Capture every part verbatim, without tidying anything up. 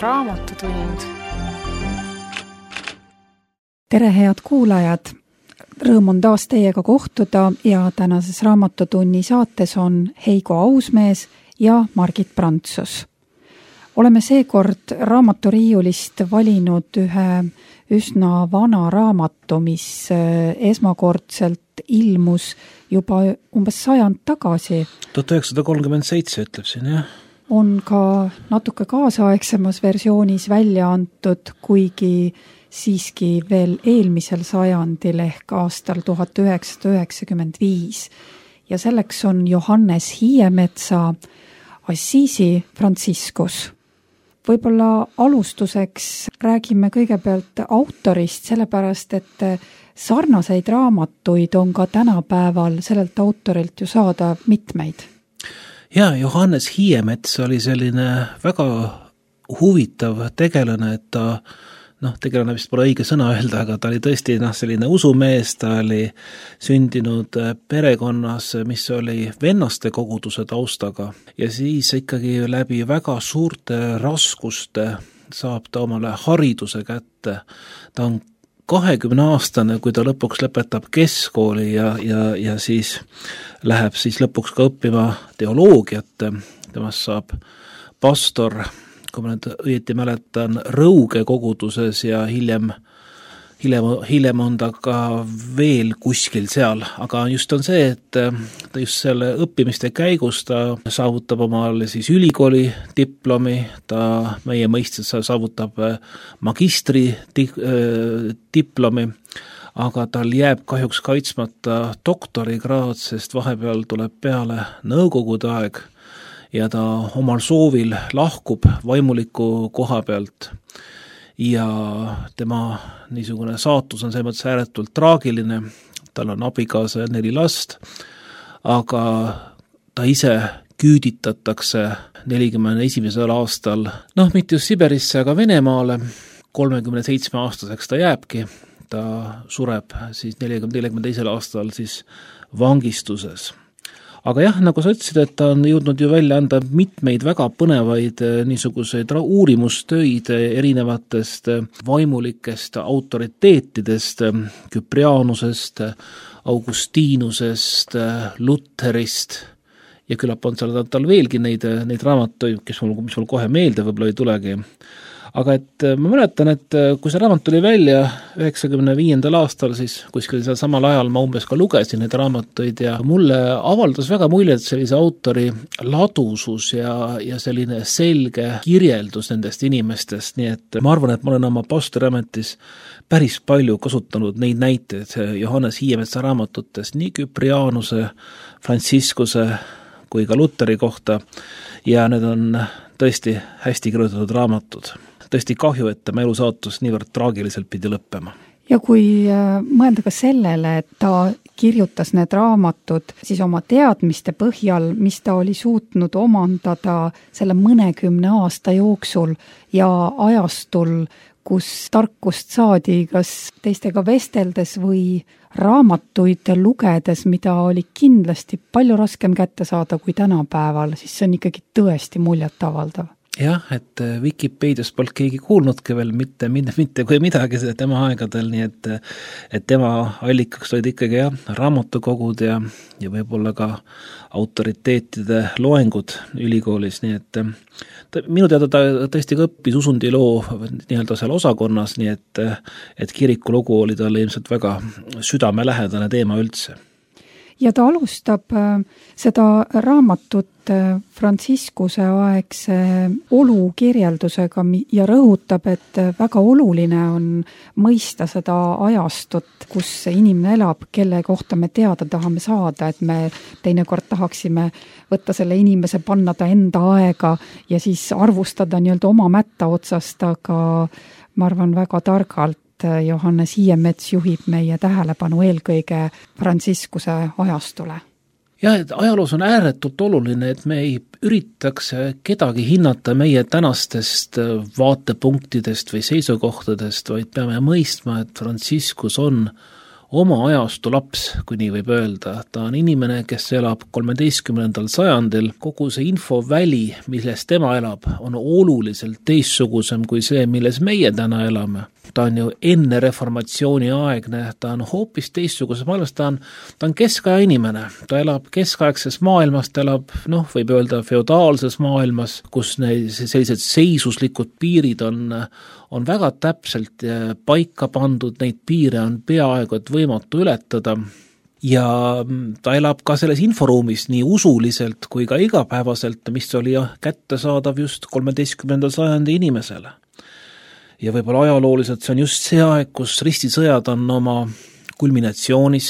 Raamatutund. Tere, head kuulajad! Rõõm on taas teiega kohtuda ja tänases Raamatutunni saates on Heigo Ausmees ja Margit Prantsus. Oleme seekord raamaturiiulist valinud ühe üsna vana raamatu, mis esmakordselt ilmus juba umbes sajand tagasi. tuhat üheksasada kolmkümmend seitse ütleb siin, jah. On ka natuke kaasaegsemas versioonis välja antud, kuigi siiski veel eelmisel sajandil ehk aastal tuhat üheksasada üheksakümmend viis. Ja selleks on Johannes Hiiemetsa Assisi Franciscus. Võib-olla alustuseks räägime kõigepealt autorist, sellepärast et sarnaseid raamatuid on ka tänapäeval sellelt autorilt ju saada mitmeid. Ja, Johannes Hiiemets oli selline väga huvitav tegelane, et ta, noh, tegelane vist pole õige sõna öelda, aga ta oli tõesti noh, selline usumees, ta oli sündinud perekonnas, mis oli vennaste koguduse taustaga ja siis ikkagi läbi väga suurte raskuste saab ta omale hariduse kätte. Ta on kahekümne aastane, kui ta lõpuks lõpetab keskkooli ja, ja, ja siis läheb siis lõpuks ka õppima teoloogiat. Temast saab pastor, kui ma nüüd õieti mäletan, Rõuge koguduses ja hiljem, hiljem, hiljem on ta ka veel kuskil seal, aga just on see, et ta just selle õppimiste käigus ta saavutab omale siis ülikooli diplomi, ta meie mõistes saavutab magistri diplomi, aga tal jääb kahjuks kaitsmata doktorikraad, sest vahepeal tuleb peale nõukogude aeg ja ta omal soovil lahkub vaimuliku koha pealt. Ja tema niisugune saatus on selles mõttes ääretult traagiline, tal on abikaasa ja neli last, aga ta ise küüditatakse nelikümmend esimesel aastal, noh, mitte just Siberisse, aga Venemaale, kolmekümne seitsme aastaseks ta jääbki, ta sureb siis nelikümmend teisel aastal siis vangistuses. Aga jah, nagu sa ütlesid, et ta on jõudnud ju välja anda mitmeid väga põnevaid niisuguseid uurimustöid erinevatest vaimulikest autoriteetidest, Küprianusest, Augustiinusest, Lutherist ja küllap on seal tal veelgi neid, neid raamatuid, kes mul, mis mul kohe meelde võib-olla ei tulegi. Aga et ma mäletan, et kui see raamat tuli välja üheksakümne viiendal aastal, siis kuskil seal samal ajal ma umbes ka lugesin neid raamatuid ja mulle avaldas väga muljet sellise autori ladusus ja, ja selline selge kirjeldus nendest inimestest, nii et ma arvan, et ma olen oma pastoriametis päris palju kasutanud neid näiteid Johannes Hiiemetsa raamatutest, nii Küprianuse, Franciscuse kui ka Lutheri kohta ja need on tõesti hästi kirjutatud raamatud. Tõesti kahju, et tema elusaatus niivõrd traagiliselt pidi lõppema. Ja kui mõelda ka sellele, et ta kirjutas need raamatud siis oma teadmiste põhjal, mis ta oli suutnud omandada selle mõnekümne aasta jooksul ja ajastul, kus tarkust saadi kas teistega vesteldes või raamatuid lugedes, mida oli kindlasti palju raskem kätte saada kui tänapäeval, siis see on ikkagi tõesti muljetavaldav. Jah, et Wikipedias polnud keegi kuulnudki veel mitte, mitte, mitte kui midagi tema aegadel, nii et, et tema allikaks olid ikkagi jah, raamatukogud ja, ja võib-olla ka autoriteetide loengud ülikoolis, nii et ta, minu teada ta tõesti ka õppis usundiloo nii-öelda seal osakonnas, nii et, et kirikulogu oli talle ilmselt väga südamelähedane teema üldse. Ja ta alustab seda raamatut Franciscuse aegse olu kirjeldusega ja rõhutab, et väga oluline on mõista seda ajastut, kus inimene elab, kelle kohta me teada tahame saada, et me teinekord tahaksime võtta selle inimese, panna ta enda aega ja siis arvustada nii-öelda oma mätta otsast, aga ma arvan väga targalt Johannes Hiiemets juhib meie tähelepanu eelkõige Franciscuse ajastule. Ja, et ajaloos on ääretult oluline, et me ei üritaks kedagi hinnata meie tänastest vaatepunktidest või seisukohtadest, vaid peame mõistma, et Franciscus on oma ajastu laps, kui nii võib öelda. Ta on inimene, kes elab kolmeteistkümnendal sajandil. Kogu see infoväli, milles tema elab, on oluliselt teistsugusem kui see, milles meie täna elame. Ta on ju enne reformatsiooni aegne, ta on hoopis teistsuguses maailmas, ta on, ta on keskaja inimene. Ta elab keskaegses maailmas, ta elab, noh, võib öelda feodaalses maailmas, kus need sellised seisuslikud piirid on, on väga täpselt paika pandud, neid piire on peaaegu et võimatu ületada. Ja ta elab ka selles inforuumis nii usuliselt kui ka igapäevaselt, mis oli kättesaadav just kolmeteistkümnendal sajandi inimesele. Ja võib-olla ajalooliselt see on just see aeg, kus ristisõjad on oma kulminatsioonis.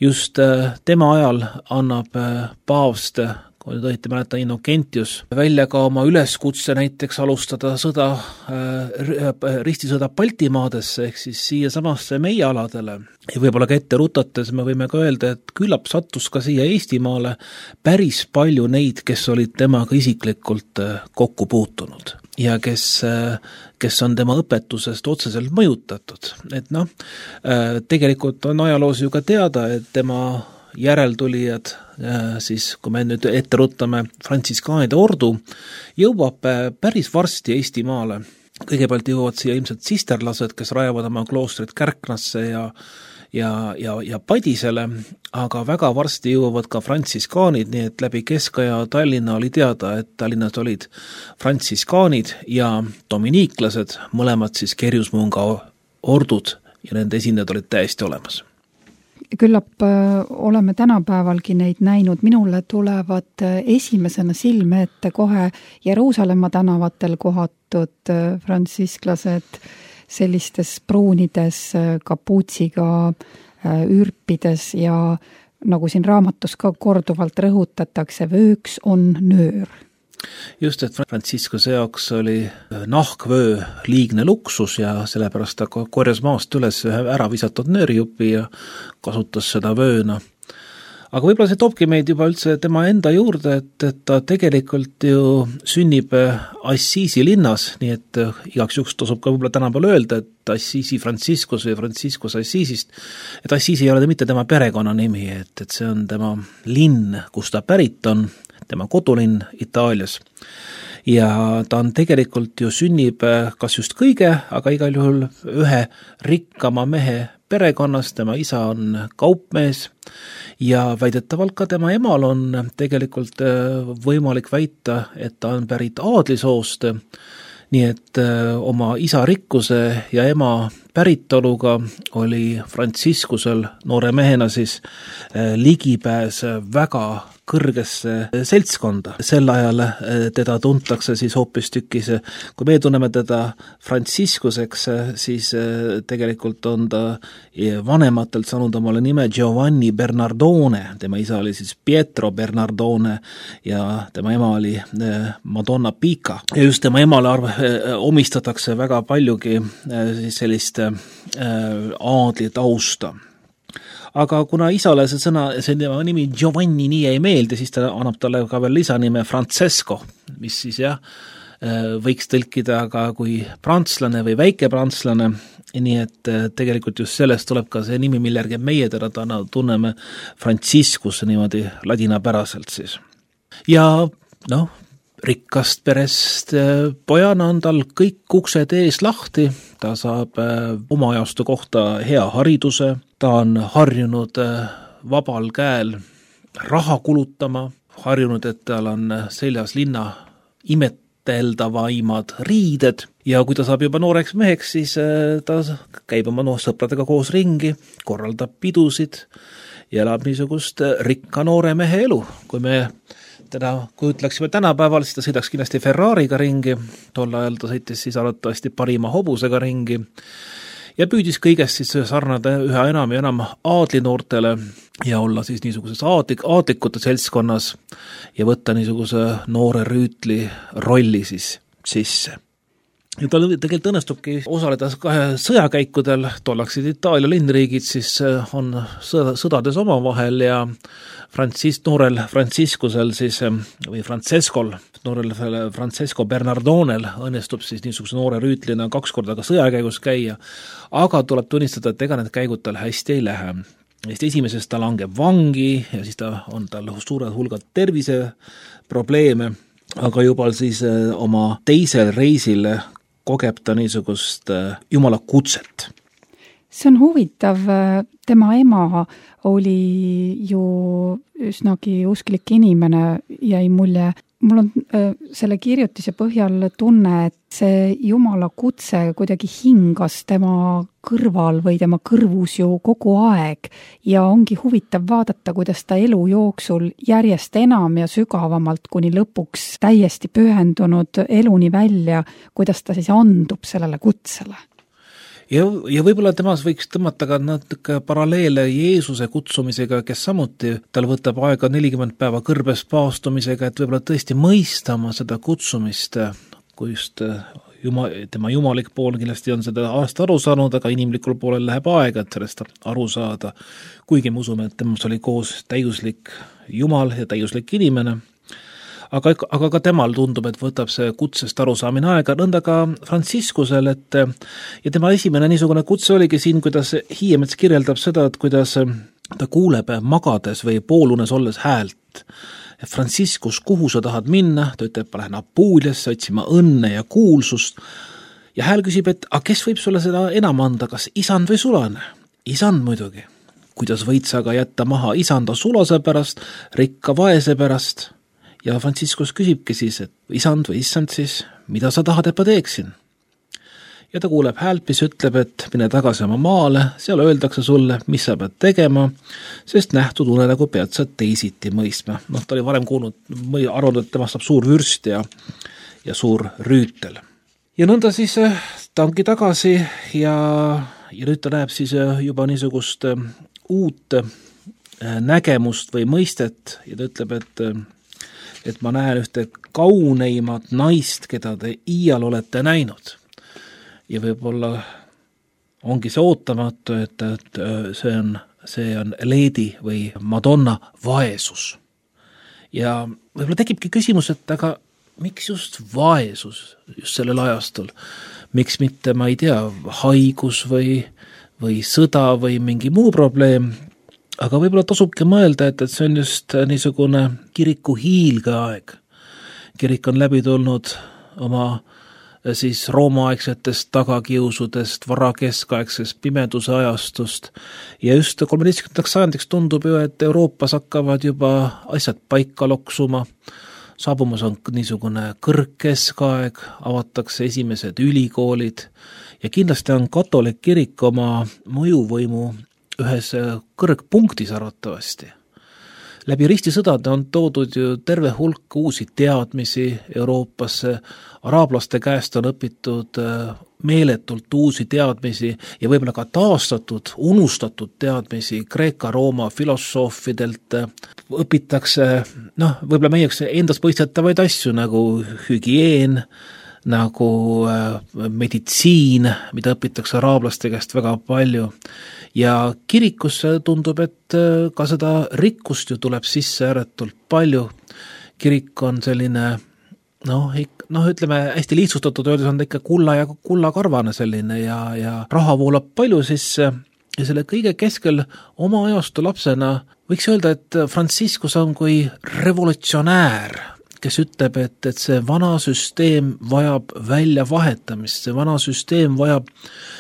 Just tema ajal annab paavst, kui nüüd õieti mäleta, Innocentius välja ka oma üleskutse näiteks alustada sõda, ristisõda Baltimaadesse ehk siis siia samasse meie aladele. Ja võib-olla ka ette rutates me võime ka öelda, et küllap sattus ka siia Eestimaale päris palju neid, kes olid temaga isiklikult kokku puutunud ja kes, kes on tema õpetusest otseselt mõjutatud. Et noh, tegelikult on ajaloos ju ka teada, et tema järeltulijad, siis kui me nüüd ette ruttame frantsiskaanide ordu, jõuab päris varsti Eestimaale. Kõigepealt jõuavad siia ilmselt sisterlased, kes rajavad oma kloostrit Kärknasse ja ja, ja, ja Padisele, aga väga varsti jõuavad ka frantsiskaanid, nii et läbi Keskaja Tallinna oli teada, et Tallinnas olid frantsiskaanid ja dominiiklased, mõlemad siis Kerjusmunga ordud ja nende esindajad olid täiesti olemas. Küllap oleme tänapäevalgi neid näinud, minule tulevad esimesena silme ette kohe Jeruusalemma tänavatel kohatud frantsisklased sellistes pruunides kapuutsiga ürpides ja nagu siin raamatus ka korduvalt rõhutatakse, vööks on nöör. Just, et Frantsiskuse jaoks oli nahkvöö liigne luksus ja sellepärast ta korjas maast üles ühe ära visatud nöörijupi ja kasutas seda vööna. Aga võib-olla see toobki meid juba üldse tema enda juurde, et, et ta tegelikult ju sünnib Assisi linnas, nii et igaks juks tasub ka võib-olla tänapäeval öelda, et Assisi Franciscus või Franciscus Assisist, et Assisi ei ole mitte tema perekonnanimi, et, et see on tema linn, kus ta pärit on, tema kodulinn Itaalias. Ja ta on tegelikult ju sünnib kas just kõige, aga igal juhul ühe rikkama mehe perekonnas, tema isa on kaupmees ja väidetavalt ka tema emal on tegelikult võimalik väita, et ta on pärit aadlisoost, nii et oma isa rikkuse ja ema päritoluga oli Franciscusel noore mehena siis ligipääs väga kõrgesse seltskonda. Sel ajal teda tuntakse siis hoopistükkis, kui me tunneme teda Franciscuseks, siis tegelikult on ta vanematelt saanud omale nime Giovanni Bernardone, tema isa oli siis Pietro Bernardone ja tema ema oli Madonna Pica. Ja just tema emale arv, omistatakse väga paljugi siis sellist aadli tausta. Aga kuna isale see sõna, see nimi Giovanni nii ei meeldi, siis ta annab talle ka veel lisanime Francesco, mis siis jah, võiks tõlkida ka kui prantslane või väike prantslane, nii et tegelikult just sellest tuleb ka see nimi, mille järgi meie teda tunneme Franciscus niimoodi ladinapäraselt siis. Ja noh, rikkast perest pojana on tal kõik uksed ees lahti, ta saab oma ajastu kohta hea hariduse, ta on harjunud vabal käel raha kulutama, harjunud, et tal on seljas linna imeteldavaimad riided ja kui ta saab juba nooreks meheks, siis ta käib oma noor sõpradega koos ringi, korraldab pidusid ja elab niisugust rikka noore mehe elu. Kui me teda, kui ütleksime tänapäeval, siis ta sõidaks kindlasti Ferrariga ringi, tol ajal ta sõitis siis arvatavasti parima hobusega ringi ja püüdis kõigest siis sarnada üha enam ja enam aadlinoortele ja olla siis niisuguses aadlik, aadlikute seltskonnas ja võtta niisuguse noore rüütli rolli siis sisse. ja tal tegelikult õnnestubki osaleda kahe sõjakäikudel, tollaksid Itaalia linnriigid, siis on sõda, sõdades omavahel ja Francis, noorel Franciscusel siis, või Francescol, noorel Francesco Bernardonel õnnestub siis niisuguse noore rüütlina kaks korda ka sõjakäigus käia, aga tuleb tunnistada, et ega need käigud tal hästi ei lähe. Esimeses ta langeb vangi ja siis ta on tal suured hulgad terviseprobleeme, aga juba siis oma teisel reisil kogeb ta niisugust Jumala kutset. See on huvitav, tema ema oli ju üsnagi usklik inimene, jäi mulje. Mul on selle kirjutise põhjal tunne, et see Jumala kutse kuidagi hingas tema kõrval või tema kõrvus ju kogu aeg ja ongi huvitav vaadata, kuidas ta elu jooksul järjest enam ja sügavamalt kuni lõpuks täiesti pühendunud eluni välja, kuidas ta siis andub sellele kutsele. Ja, ja võib-olla temas võiks tõmmata ka natuke paralleele Jeesuse kutsumisega, kes samuti tal võtab aega nelikümmend päeva kõrbes paastumisega, et võib-olla tõesti mõistama seda kutsumist, kui just jumal, tema jumalik pool kindlasti on seda aasta aru saanud, aga inimlikul poolel läheb aega, et sellest aru saada. Kuigi me usume, et temas oli koos täiuslik jumal ja täiuslik inimene. Aga, aga ka temal tundub, et võtab see kutsest arusaamine aega, nõnda ka Franciscusel, et ja tema esimene niisugune kutse oligi siin, kuidas Hiiemets kirjeldab seda, et kuidas ta kuuleb magades või poolunes olles häält. Franciscus, kuhu sa tahad minna? Ta ütleb, ma lähen Apuliasse otsima õnne ja kuulsust. Ja hääl küsib, et a, kes võib sulle seda enam anda, kas isand või sulane? Isand muidugi. Kuidas võid sa aga jätta maha isanda sulase pärast, rikka vaese pärast? Ja Franciscus küsibki siis, et isand või issand siis, mida sa tahad, et ma teeksin? Ja ta kuuleb häält, mis ütleb, et mine tagasi oma maale, seal öeldakse sulle, mis sa pead tegema, sest nähtud une nagu pead sa teisiti mõistma. Noh, ta oli varem kuulnud, arvanud, et temast saab suur vürst ja, ja suur rüütel. Ja nõnda siis ta ongi tagasi ja, ja nüüd ta näeb siis juba niisugust uut nägemust või mõistet ja ta ütleb, et et ma näen ühte kauneimat naist, keda te iial olete näinud. Ja võib-olla ongi see ootamatu, et, et see on, see on Lady või Madonna vaesus. Ja võib-olla tekibki küsimus, et aga miks just vaesus just sellel ajastul? Miks mitte, ma ei tea, haigus või, või sõda või mingi muu probleem? Aga võib-olla tasubki mõelda, et, et see on just niisugune kiriku hiilgeaeg. Kirik on läbi tulnud oma siis roomaaegsetest tagakiusudest, varakeskaegsest pimeduse ajastust ja just kolmeteistkümnendaks sajandiks tundub ju, et Euroopas hakkavad juba asjad paika loksuma. Saabumas on niisugune kõrgkeskaeg, avatakse esimesed ülikoolid ja kindlasti on katolik kirik oma mõjuvõimu ühes kõrgpunktis arvatavasti. Läbi ristisõdade on toodud ju terve hulk uusi teadmisi Euroopasse, araablaste käest on õpitud meeletult uusi teadmisi ja võib-olla ka taastatud, unustatud teadmisi Kreeka-Rooma filosoofidelt. Õpitakse, noh, võib-olla meieks endast mõistetavaid asju nagu hügieen, nagu meditsiin, mida õpitakse araablaste käest väga palju. Ja kirikus tundub, et ka seda rikkust ju tuleb sisse ääretult palju. Kirik on selline, noh, noh ütleme, hästi lihtsustatud öeldes on ta ikka kulla ja kullakarvane selline ja, ja raha voolab palju sisse ja selle kõige keskel oma ajastu lapsena võiks öelda, et Franciscus on kui revolutsionäär, kes ütleb, et, et see vana süsteem vajab välja vahetamist, see vana süsteem vajab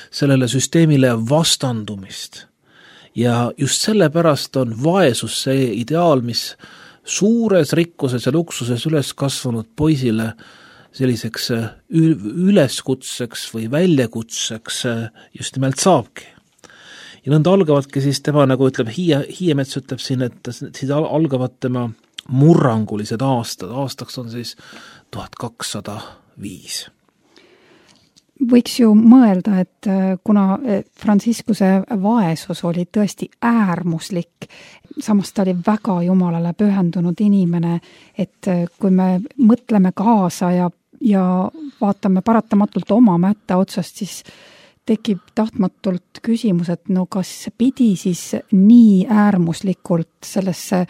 sellele süsteemile vastandumist. Ja just sellepärast on vaesus see ideaal, mis suures rikkuses ja luksuses üles kasvanud poisile selliseks üleskutseks või väljakutseks just nimelt saabki. Ja nõnda algavadki siis tema, nagu ütleb Hiie, Hiiemets ütleb siin, et siis algavad tema murrangulised aastad, aastaks on siis tuhat kakssada viis. Võiks ju mõelda, et kuna Franciscuse vaesus oli tõesti äärmuslik, samas ta oli väga Jumalale pühendunud inimene, et kui me mõtleme kaasa ja ja vaatame paratamatult oma mätta otsast, siis tekib tahtmatult küsimus, et no kas pidi siis nii äärmuslikult sellesse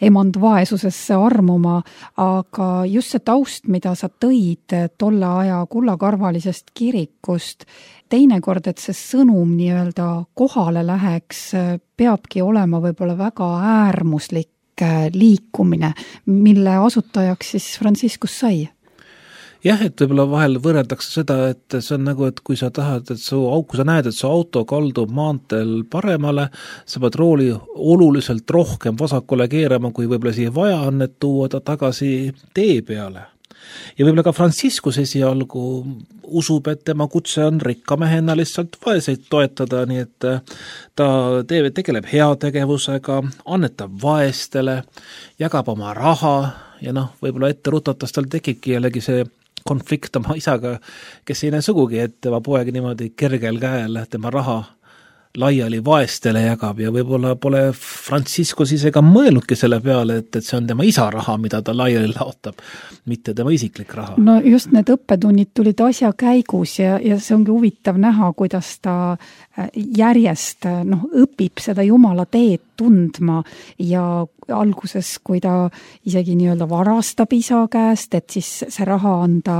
emandvaesusesse armuma, aga just see taust, mida sa tõid tolle aja kullakarvalisest kirikust, teinekord, et see sõnum nii-öelda kohale läheks, peabki olema võib-olla väga äärmuslik liikumine, mille asutajaks siis Franciscus sai. Jah, et võib-olla vahel võrreldakse seda, et see on nagu, et kui sa tahad, et su, kui sa näed, et su auto kaldub maanteel paremale, sa pead rooli oluliselt rohkem vasakule keerama, kui võib-olla siia vaja on, et tuua ta tagasi tee peale. Ja võib-olla ka Franciscus esialgu usub, et tema kutse on rikkamehena lihtsalt vaeseid toetada, nii et ta teeb, tegeleb heategevusega, annetab vaestele, jagab oma raha ja noh, võib-olla ette rutatas tal tekibki jällegi see konflikt oma isaga, kes ei näe sugugi, et tema poeg niimoodi kergel käel tema raha laiali vaestele jagab ja võib-olla pole Franciscus ise ka mõelnudki selle peale, et, et see on tema isa raha, mida ta laiali laotab, mitte tema isiklik raha. No just need õppetunnid tulid asja käigus ja, ja see ongi huvitav näha, kuidas ta järjest noh, õpib seda Jumala teed tundma ja alguses, kui ta isegi nii-öelda varastab isa käest, et siis see raha anda,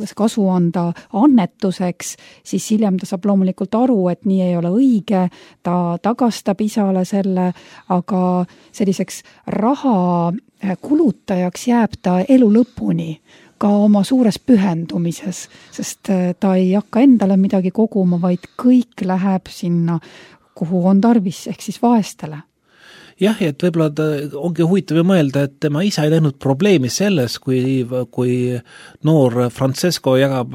see kasu anda annetuseks, siis hiljem ta saab loomulikult aru, et nii ei ole õige, ta tagastab isale selle, aga selliseks raha kulutajaks jääb ta elu lõpuni, ka oma suures pühendumises, sest ta ei hakka endale midagi koguma, vaid kõik läheb sinna, kuhu on tarvis, ehk siis vaestele. Jah, et võib-olla ta ongi huvitav mõelda, et tema isa ei näinud probleemi selles, kui, kui noor Francesco jagab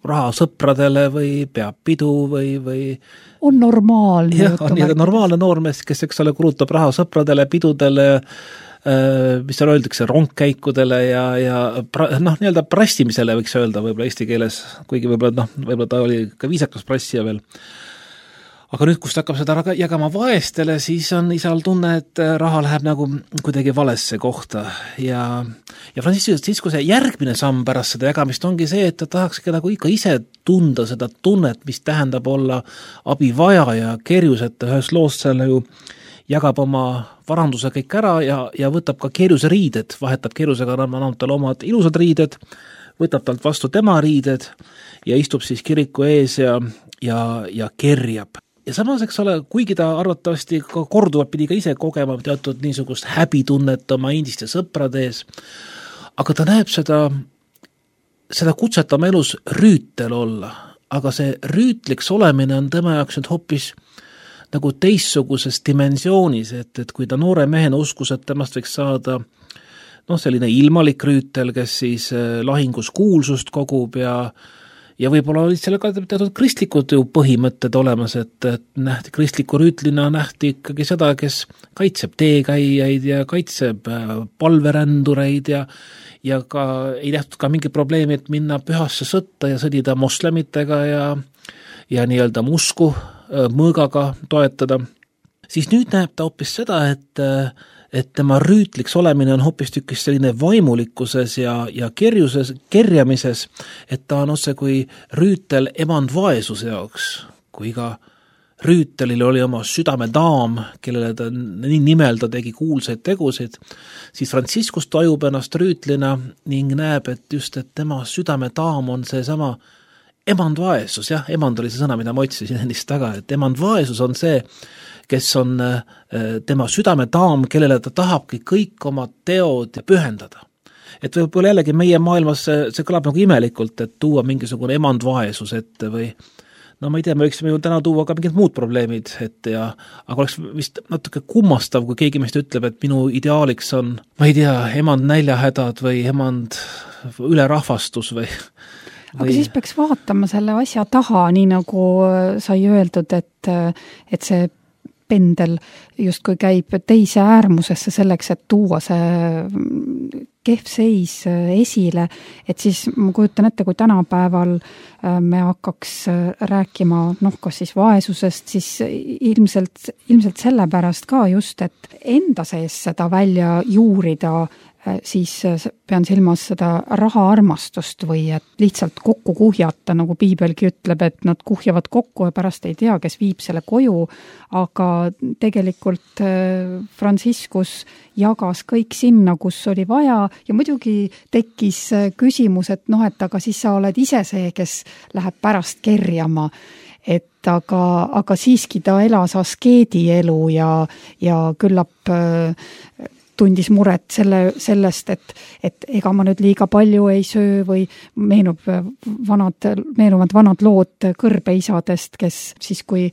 raha sõpradele või peab pidu või, või on normaalne. Jah, on nii normaalne noormees, kes eks ole kulutab raha sõpradele, pidudele, mis seal öeldakse, rongkäikudele ja, ja noh, nii-öelda prassimisele võiks öelda võib-olla eesti keeles, kuigi võib-olla, noh, võib-olla ta oli ka viisakas prassija veel. Aga nüüd, kus ta hakkab seda jagama vaestele, siis on isal tunne, et raha läheb nagu kuidagi valesse kohta ja, ja Franciscus see järgmine samm pärast seda jagamist ongi see, et ta tahaks nagu ikka ise tunda seda tunnet, mis tähendab olla abivajaja kerjus, et ühes loos selle ju jagab oma varanduse kõik ära ja, ja võtab ka kerjuse riided, vahetab kerjusega, annab talle omad ilusad riided, võtab talt vastu tema riided ja istub siis kiriku ees ja, ja, ja kerjab. Ja samas, eks ole, kuigi ta arvatavasti ka korduvalt pidi ka ise kogema teatud niisugust häbitunnet oma endiste sõprade ees, aga ta näeb seda, seda kutset oma elus rüütel olla, aga see rüütliks olemine on tema jaoks nüüd hoopis nagu teistsuguses dimensioonis, et, et kui ta noore mehena uskus, et temast võiks saada noh, selline ilmalik rüütel, kes siis lahingus kuulsust kogub ja ja võib-olla olid selle ka teatud kristlikud ju põhimõtted olemas, et, et nähti kristliku rüütlina nähti ikkagi seda, kes kaitseb teekäijaid ja kaitseb palverändureid ja, ja ka ei nähtud ka mingi probleemi, et minna pühasse sõtta ja sõdida moslemitega ja, ja nii-öelda musku mõõgaga toetada. Siis nüüd näeb ta hoopis seda, et et tema rüütliks olemine on hoopis tükis selline vaimulikkuses ja, ja kerjuses, kerjamises, et ta on otse kui rüütel emand vaesuse jaoks, kui iga rüütelil oli oma südamedaam, kellele ta nii nimel ta tegi kuulsaid tegusid, siis Franciscus tajub ennast rüütlina ning näeb, et just, et tema südamedaam on see sama emand vaesus, jah, emand oli see sõna, mida ma otsisin ennist taga, et emand vaesus on see, kes on tema südamedaam, kellele ta tahabki kõik oma teod pühendada. Et võib-olla jällegi meie maailmas see, see kõlab nagu imelikult, et tuua mingisugune emandvaesus ette või no ma ei tea, me võiksime ju täna tuua ka mingid muud probleemid ette ja aga oleks vist natuke kummastav, kui keegi meist ütleb, et minu ideaaliks on, ma ei tea, emand näljahädad või emand ülerahvastus või Või... Aga siis peaks vaatama selle asja taha, nii nagu sai öeldud, et, et see pendel justkui käib teise äärmusesse selleks, et tuua see kehv seis esile, et siis ma kujutan ette, kui tänapäeval me hakkaks rääkima, noh, kas siis vaesusest, siis ilmselt, ilmselt sellepärast ka just, et enda sees seda välja juurida, siis pean silmas seda rahaarmastust või et lihtsalt kokku kuhjata, nagu piibelgi ütleb, et nad kuhjavad kokku ja pärast ei tea, kes viib selle koju, aga tegelikult Franciscus jagas kõik sinna, kus oli vaja ja muidugi tekkis küsimus, et noh, et aga siis sa oled ise see, kes läheb pärast kerjama, et aga, aga siiski ta elas askeedi elu ja, ja küllap tundis muret selle, sellest, et, et ega ma nüüd liiga palju ei söö või meenub vanad, meenuvad vanad lood kõrbeisadest, kes siis, kui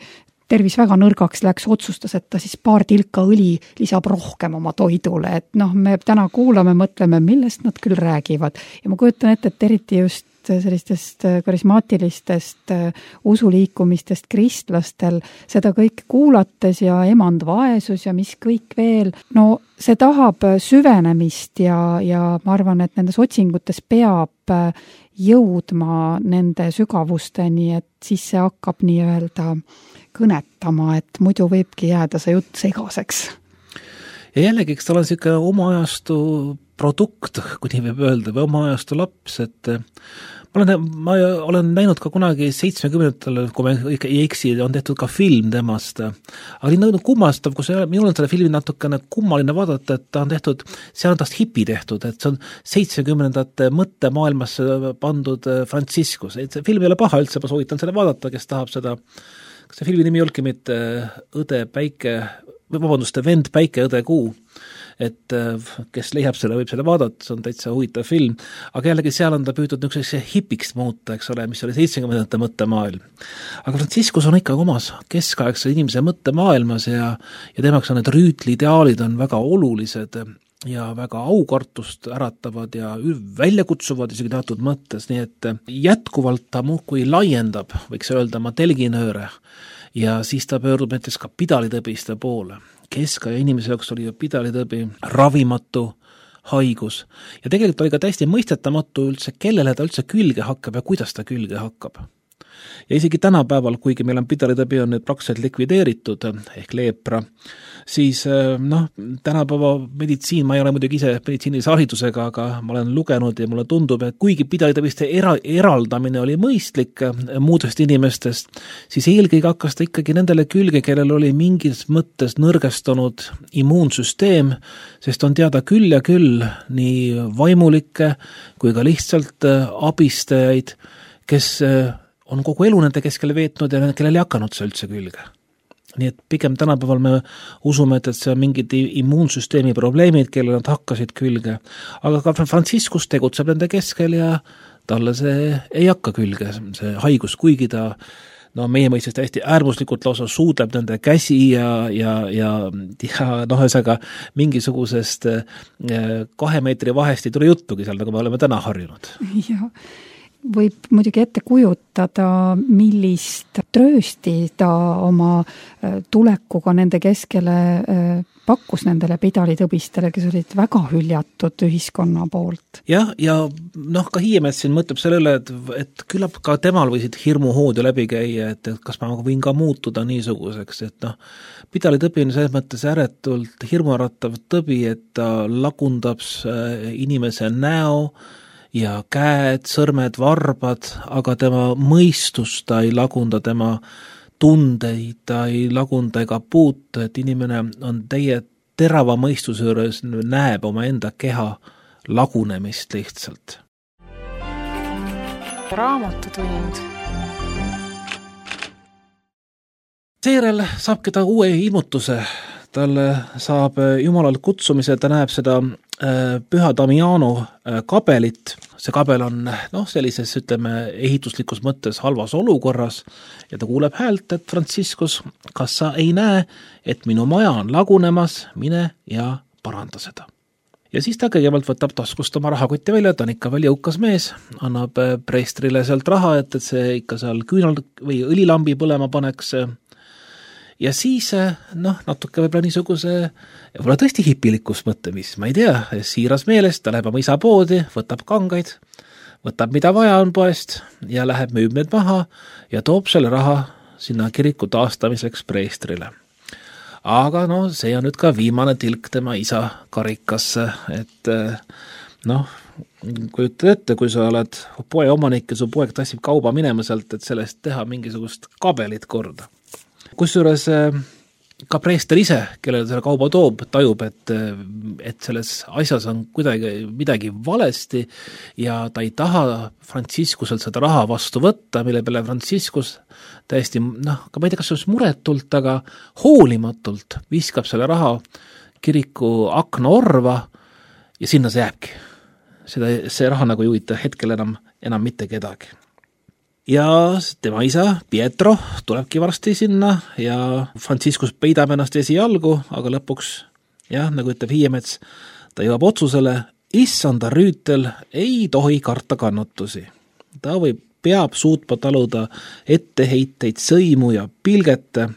tervis väga nõrgaks läks, otsustas, et ta siis paar tilka õli lisab rohkem oma toidule, et noh, me täna kuulame, mõtleme, millest nad küll räägivad ja ma kujutan ette, et eriti just sellistest karismaatilistest usuliikumistest kristlastel seda kõike kuulates ja emand vaesus ja mis kõik veel, no see tahab süvenemist ja, ja ma arvan, et nendes otsingutes peab jõudma nende sügavusteni, et siis see hakkab nii-öelda kõnetama, et muidu võibki jääda see jutt segaseks. Ja jällegi, eks tal on siuke oma ajastu produkt, kui nii võib öelda, või oma ajastu laps, et ma olen, ma olen näinud ka kunagi seitsmekümnendatel, kui ma ikka ei eksi, on tehtud ka film temast, aga nii nõudnud kummastav, kus minul on selle filmi natukene kummaline vaadata, et ta on tehtud, seal on tast hipi tehtud, et see on seitsmekümnendate mõttemaailmasse pandud Franciscus, et see film ei ole paha üldse, ma soovitan selle vaadata, kes tahab seda, kas see filmi nimi olgi mitte Õde Päike, või vabandust, Vend Päike, Õde Kuu, et kes leiab selle, võib selle vaadata, see on täitsa huvitav film, aga jällegi seal on ta püütud niisuguseks hipiks muuta, eks ole, mis oli seitsmekümnendate mõttemaailm. Aga Franciscus on ikka omas keskaegse inimese mõttemaailmas ja, ja temaks on need rüütliideaalid on väga olulised ja väga aukartust äratavad ja väljakutsuvad isegi teatud mõttes, nii et jätkuvalt ta muudkui laiendab, võiks öelda, oma telginööre ja siis ta pöördub näiteks ka pidalitõbiste poole. Keskaja inimese jaoks oli ju pidalitõbi ravimatu haigus ja tegelikult oli ka täiesti mõistetamatu üldse, kellele ta üldse külge hakkab ja kuidas ta külge hakkab. Ja isegi tänapäeval, kuigi meil on pidalitõbi on nüüd praktiliselt likvideeritud ehk leepra, siis noh, tänapäeva meditsiin, ma ei ole muidugi ise meditsiinilise haridusega, aga ma olen lugenud ja mulle tundub, et kuigi pidalitõbiste era, eraldamine oli mõistlik muudest inimestest, siis eelkõige hakkas ta ikkagi nendele külge, kellel oli mingis mõttes nõrgestunud immuunsüsteem, sest on teada küll ja küll nii vaimulikke kui ka lihtsalt abistajaid, kes on kogu elu nende keskel veetnud ja kellel ei hakanud see üldse külge. Nii et pigem tänapäeval me usume, et see on mingid immuunsüsteemi probleemid, kellel nad hakkasid külge. Aga ka Franciscus tegutseb nende keskel ja talle see ei hakka külge, see haigus, kuigi ta no meie mõistes täiesti äärmuslikult lausa suudleb nende käsi ja, ja, ja, ja noh, ühesõnaga mingisugusest kahe meetri vahest ei tule juttugi seal, nagu me oleme täna harjunud. Jah. Võib muidugi ette kujutada, millist tröösti ta oma tulekuga nende keskele pakkus nendele pidalitõbistele, kes olid väga hüljatud ühiskonna poolt. Jah, ja noh, ka Hiiemets siin mõtleb selle üle, et, et küllap ka temal võisid hirmuhood ju läbi käia, et, et kas ma võin ka muutuda niisuguseks, et noh, pidalitõbi on selles mõttes ääretult hirmuäratav tõbi, et ta lagundab inimese näo, ja käed, sõrmed, varbad, aga tema mõistust ta ei lagunda, tema tundeid ta ei lagunda ega puuta, et inimene on teie terava mõistuse juures, näeb oma enda keha lagunemist lihtsalt. Raamatutund. Seejärel saabki ta uue ilmutuse. Talle saab Jumalalt kutsumise, ta näeb seda Püha Damiano kabelit. See kabel on noh, sellises, ütleme, ehituslikus mõttes halvas olukorras ja ta kuuleb häält, et Franciscus, kas sa ei näe, et minu maja on lagunemas, mine ja paranda seda. Ja siis ta kõigepealt võtab taskust oma rahakotti välja, ta on ikka veel jõukas mees, annab preestrile sealt raha, et, et see ikka seal küünal või õlilambi põlema paneks. ja siis noh, natuke võib-olla niisuguse, võib-olla tõesti hipilikus mõttemis, ma ei tea, siiras meelest, ta läheb oma isa poodi, võtab kangaid, võtab mida vaja on poest ja läheb müüb need maha ja toob selle raha sinna kiriku taastamiseks preestrile. Aga no see on nüüd ka viimane tilk tema isa karikasse, et noh, kui ütled ette, kui sa oled poe omanik ja su poeg tassib kauba minema sealt, et sellest teha mingisugust kabelit korda. Kusjuures ka preester ise, kellele selle kauba toob, tajub, et, et selles asjas on kuidagi midagi valesti ja ta ei taha Franciscuselt seda raha vastu võtta, mille peale Franciscus täiesti, noh, ka ma ei tea, kas see on muretult, aga hoolimatult viskab selle raha kiriku akna orva ja sinna see jääbki. Seda, see raha nagu ei huvita hetkel enam, enam mitte kedagi. Ja tema isa, Pietro, tulebki varsti sinna ja Franciscus peidab ennast esialgu, aga lõpuks, jah, nagu ütleb Hiiemets, ta jõuab otsusele, issanda rüütel ei tohi karta kannatusi. Ta võib, peab suutma taluda etteheiteid, sõimu ja pilgete.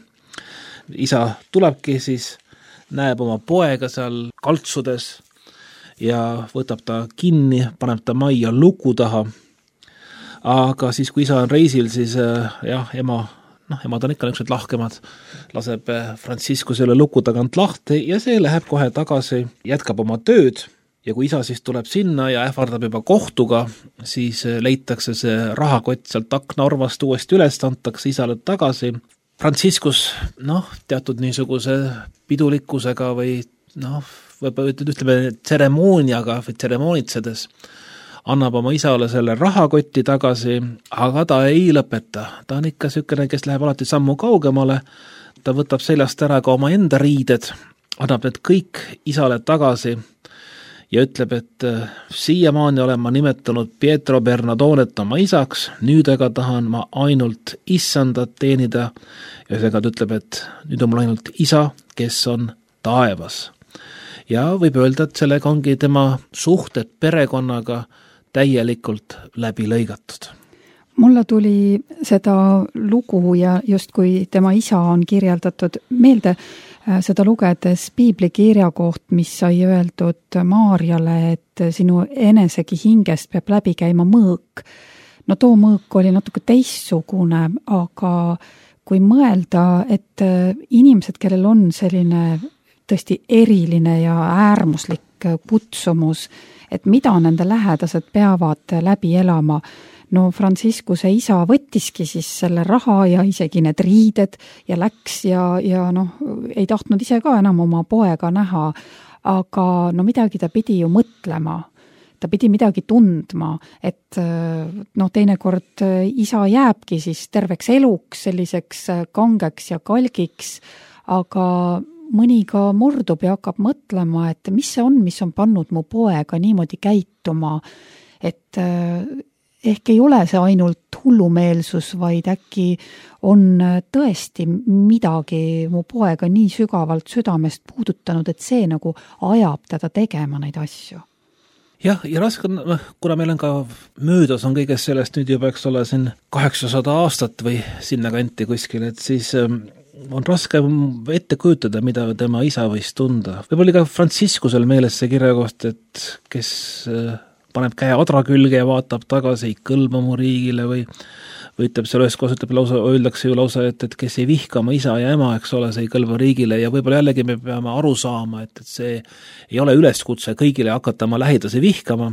Isa tulebki siis, näeb oma poega seal kaltsudes ja võtab ta kinni, paneb ta majja luku taha. Aga siis, kui isa on reisil, siis jah, ema, noh, emad on ikka niisugused lahkemad, laseb Franciscusele luku tagant lahti ja see läheb kohe tagasi, jätkab oma tööd ja kui isa siis tuleb sinna ja ähvardab juba kohtuga, siis leitakse see rahakott sealt aknaorvast uuesti üles, antakse isale tagasi. Franciscus, noh, teatud niisuguse pidulikkusega või noh, võib-olla ütleme tseremooniaga või tseremoonitsedes annab oma isale selle rahakotti tagasi, aga ta ei lõpeta. Ta on ikka niisugune, kes läheb alati sammu kaugemale, ta võtab seljast ära ka oma enda riided, annab need kõik isale tagasi ja ütleb, et siiamaani olen ma nimetanud Pietro Bernadonet oma isaks, nüüd aga tahan ma ainult issandat teenida ja seega ta ütleb, et nüüd on mul ainult isa, kes on taevas. Ja võib öelda, et sellega ongi tema suhted perekonnaga täielikult läbi lõigatud. Mulle tuli seda lugu ja justkui tema isa on kirjeldatud meelde seda lugedes piiblikirja koht, mis sai öeldud Maarjale, et sinu enesegi hingest peab läbi käima mõõk. No too mõõk oli natuke teistsugune, aga kui mõelda, et inimesed, kellel on selline tõesti eriline ja äärmuslik kutsumus, et mida nende lähedased peavad läbi elama. No Franciscuse isa võttiski siis selle raha ja isegi need riided ja läks ja, ja noh, ei tahtnud ise ka enam oma poega näha, aga no midagi ta pidi ju mõtlema. Ta pidi midagi tundma, et noh, teinekord isa jääbki siis terveks eluks selliseks kangeks ja kalgiks, aga mõni ka murdub ja hakkab mõtlema, et mis see on, mis on pannud mu poega niimoodi käituma, et ehk ei ole see ainult hullumeelsus, vaid äkki on tõesti midagi mu poega nii sügavalt südamest puudutanud, et see nagu ajab teda tegema neid asju. Jah, ja raske on, kuna meil on ka möödas on kõigest sellest nüüd juba, eks ole, siin kaheksasada aastat või sinna kanti kuskil, et siis on raske ette kujutada, mida tema isa võis tunda. Võib-olla ka Franciscusel meeles see kirjakoht, et kes paneb käe adra külge ja vaatab tagasi, ei kõlba mu riigile või, või ütleb seal ühes kohas, ütleb lausa, öeldakse ju lausa, et, et kes ei vihka oma isa ja ema, eks ole, see ei kõlba riigile ja võib-olla jällegi me peame aru saama, et, et see ei ole üleskutse kõigile hakata oma lähidasi vihkama,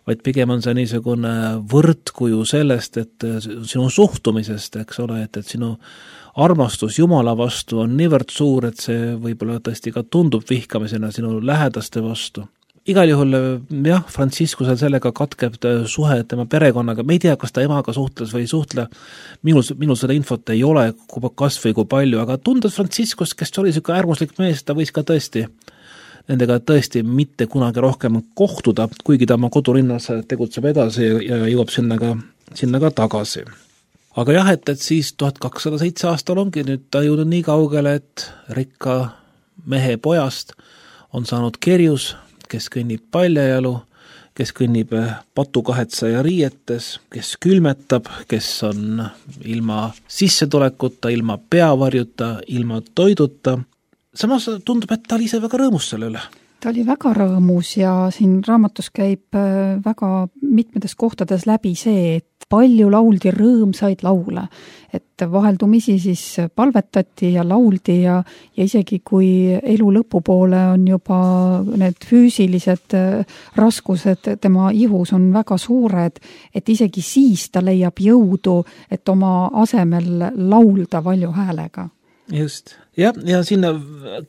vaid pigem on see niisugune võrdkuju sellest, et sinu suhtumisest, eks ole, et, et sinu armastus Jumala vastu on niivõrd suur, et see võib-olla tõesti ka tundub vihkamisena sinu lähedaste vastu. Igal juhul, jah, Franciscusel sellega katkeb suhe tema perekonnaga, me ei tea, kas ta emaga suhtles või ei suhtle, minul, minul seda infot ei ole, kas või kui palju, aga tundes Franciscus, kes oli selline äärmuslik mees, ta võis ka tõesti nendega tõesti mitte kunagi rohkem kohtuda, kuigi ta oma kodulinnas tegutseb edasi ja jõuab sinna ka, sinna ka tagasi. Aga jah, et, et siis tuhat kakssada seitse aastal ongi nüüd ta jõudnud nii kaugele, et rikka mehe pojast on saanud kerjus, kes kõnnib paljajalu, kes kõnnib patukahetsaja riietes, kes külmetab, kes on ilma sissetulekuta, ilma peavarjuta, ilma toiduta. Samas tundub, et ta oli ise väga rõõmus selle üle. Ta oli väga rõõmus ja siin raamatus käib väga mitmetes kohtades läbi see, et palju lauldi rõõmsaid laule. Et vaheldumisi siis palvetati ja lauldi ja, ja isegi kui elu lõpupoole on juba need füüsilised raskused tema ihus on väga suured, et isegi siis ta leiab jõudu, et oma asemel laulda valju häälega. Just. Ja, ja sinna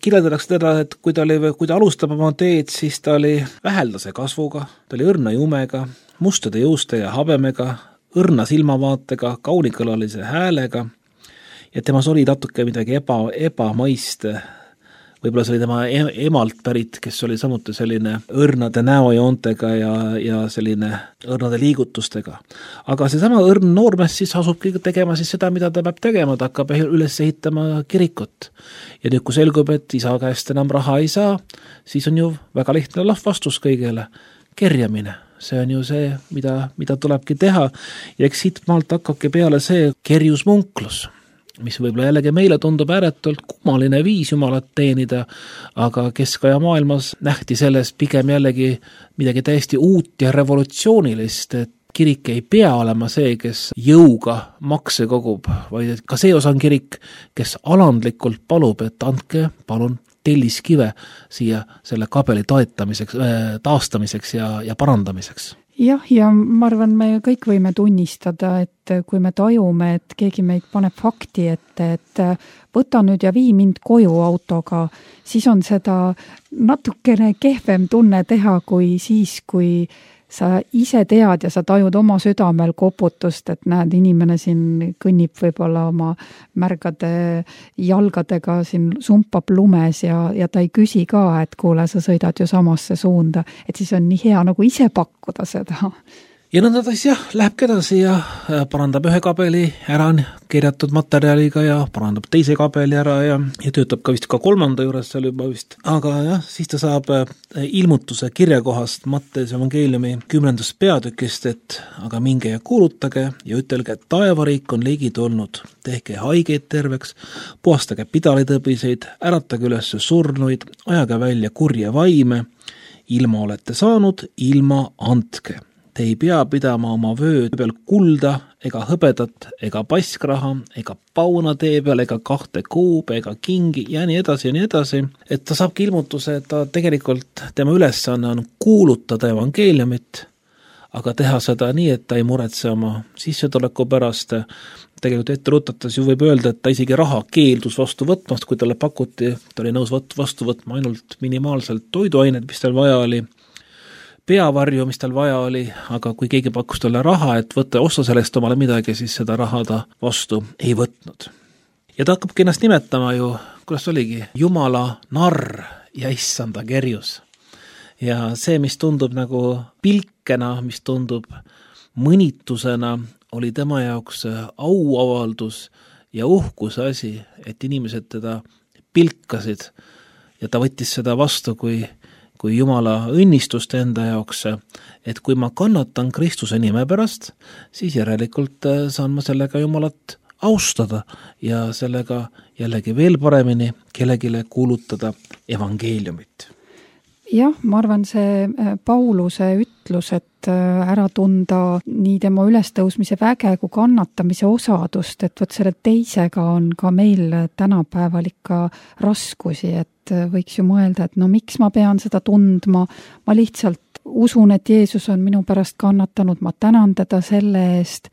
kirjeldatakse teda, et kui ta, oli, kui ta alustab oma teed, siis ta oli väheldase kasvuga, ta oli õrna jumega, mustade juuste ja habemega, õrna silmavaatega, kaunikõlalise häälega ja temas oli natuke midagi eba, ebamaist. Võib-olla see oli tema emalt pärit, kes oli samuti selline õrnade näojoontega ja, ja selline õrnade liigutustega. Aga seesama õrn noormees siis asubki tegema siis seda, mida ta peab tegema, ta hakkab üles ehitama kirikut. Ja nüüd, kui selgub, et isa käest enam raha ei saa, siis on ju väga lihtne vastus kõigele. Kerjamine. See on ju see, mida, mida tulebki teha. Ja eks siit maalt hakkabki peale see kerjusmunklus, mis võib-olla jällegi meile tundub ääretult kummaline viis jumalat teenida, aga keskaja maailmas nähti selles pigem jällegi midagi täiesti uut ja revolutsioonilist, et kirik ei pea olema see, kes jõuga makse kogub, vaid ka see osa on kirik, kes alandlikult palub, et andke palun telliskive siia selle kabeli toetamiseks, taastamiseks ja, ja parandamiseks. Jah, ja ma arvan, me kõik võime tunnistada, et kui me tajume, et keegi meid paneb fakti ette, et võta nüüd ja vii mind koju autoga, siis on seda natukene kehvem tunne teha kui siis, kui sa ise tead ja sa tajud oma südamel koputust, et näed, inimene siin kõnnib võib-olla oma märgade jalgadega, siin sumpab lumes ja, ja ta ei küsi ka, et kuule, sa sõidad ju samasse suunda, et siis on nii hea nagu ise pakkuda seda. Ja nõnda siis jah, läheb edasi ja parandab ühe kabeli ära kirjatud materjaliga ja parandab teise kabeli ära ja, ja töötab ka vist ka kolmanda juures seal juba vist. Aga jah, siis ta saab ilmutuse kirjakohast Matteuse evangeeliumi kümnendast peatükist, et aga minge ja kuulutage ja ütelge, et taevariik on ligi tulnud. Tehke haigeid terveks, puhastage pidalitõbiseid, äratage üles surnuid, ajage välja kurje vaime, ilma olete saanud, ilma andke. Te ei pea pidama oma vöö peal kulda ega hõbedat, ega paskraha, ega pauna tee peal, ega kahte kuube, ega kingi ja nii edasi ja nii edasi. Et ta saabki ilmutuse, et ta tegelikult tema ülesanne on kuulutada evangeeliumit, aga teha seda nii, et ta ei muretse oma sissetuleku pärast. Tegelikult ette rutates ju võib öelda, et ta isegi raha keeldus vastu võtmast, kui talle pakuti, ta oli nõus vastu võtma ainult minimaalselt toiduaineid, mis tal vaja oli, peavarju, mis tal vaja oli, aga kui keegi pakkus talle raha, et võtta osta sellest omale midagi, siis seda raha ta vastu ei võtnud. Ja ta hakkabki ennast nimetama ju, kuidas oligi, Jumala narr ja issanda kerjus. Ja see, mis tundub nagu pilkena, mis tundub mõnitusena, oli tema jaoks auavaldus ja uhkuse asi, et inimesed teda pilkasid ja ta võttis seda vastu kui kui Jumala õnnistust enda jaoks, et kui ma kannatan Kristuse nime pärast, siis järelikult saan ma sellega Jumalat austada ja sellega jällegi veel paremini kellegile kuulutada evangeeliumit. Jah, ma arvan, see Pauluse ütlus, et ära tunda nii tema ülestõusmise väge kui kannatamise osadust, et võt selle teisega on ka meil tänapäeval ikka raskusi, et võiks ju mõelda, et no miks ma pean seda tundma, ma lihtsalt usun, et Jeesus on minu pärast kannatanud, ma tänan teda selle eest,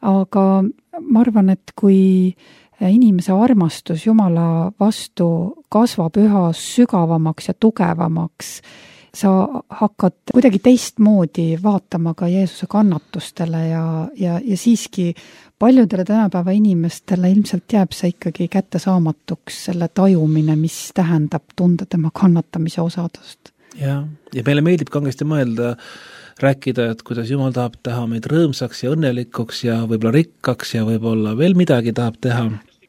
aga ma arvan, et kui inimese armastus Jumala vastu kasvab üha sügavamaks ja tugevamaks, sa hakkad kuidagi teistmoodi vaatama ka Jeesuse kannatustele ja, ja, ja siiski paljudele tänapäeva inimestele ilmselt jääb see ikkagi kättesaamatuks selle tajumine, mis tähendab tunda tema kannatamise osadust. Ja, ja meile meeldib kangesti mõelda, rääkida, et kuidas Jumal tahab teha meid rõõmsaks ja õnnelikuks ja võib-olla rikkaks ja võib-olla veel midagi tahab teha.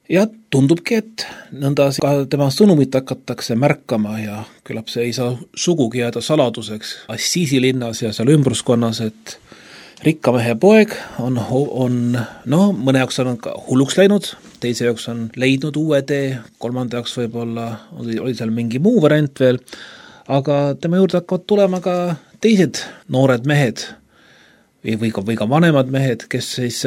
ja tundubki, et nõnda ka tema sõnumit hakatakse märkama ja küllap see ei saa sugugi jääda saladuseks Assisi linnas ja seal ümbruskonnas, et rikka mehe poeg on, on no mõne jaoks on ka hulluks läinud, teise jaoks on leidnud uue tee, kolmanda jaoks võib-olla oli, oli seal mingi muu variant veel, aga tema juurde hakkavad tulema ka teised noored mehed või ka, või ka vanemad mehed, kes siis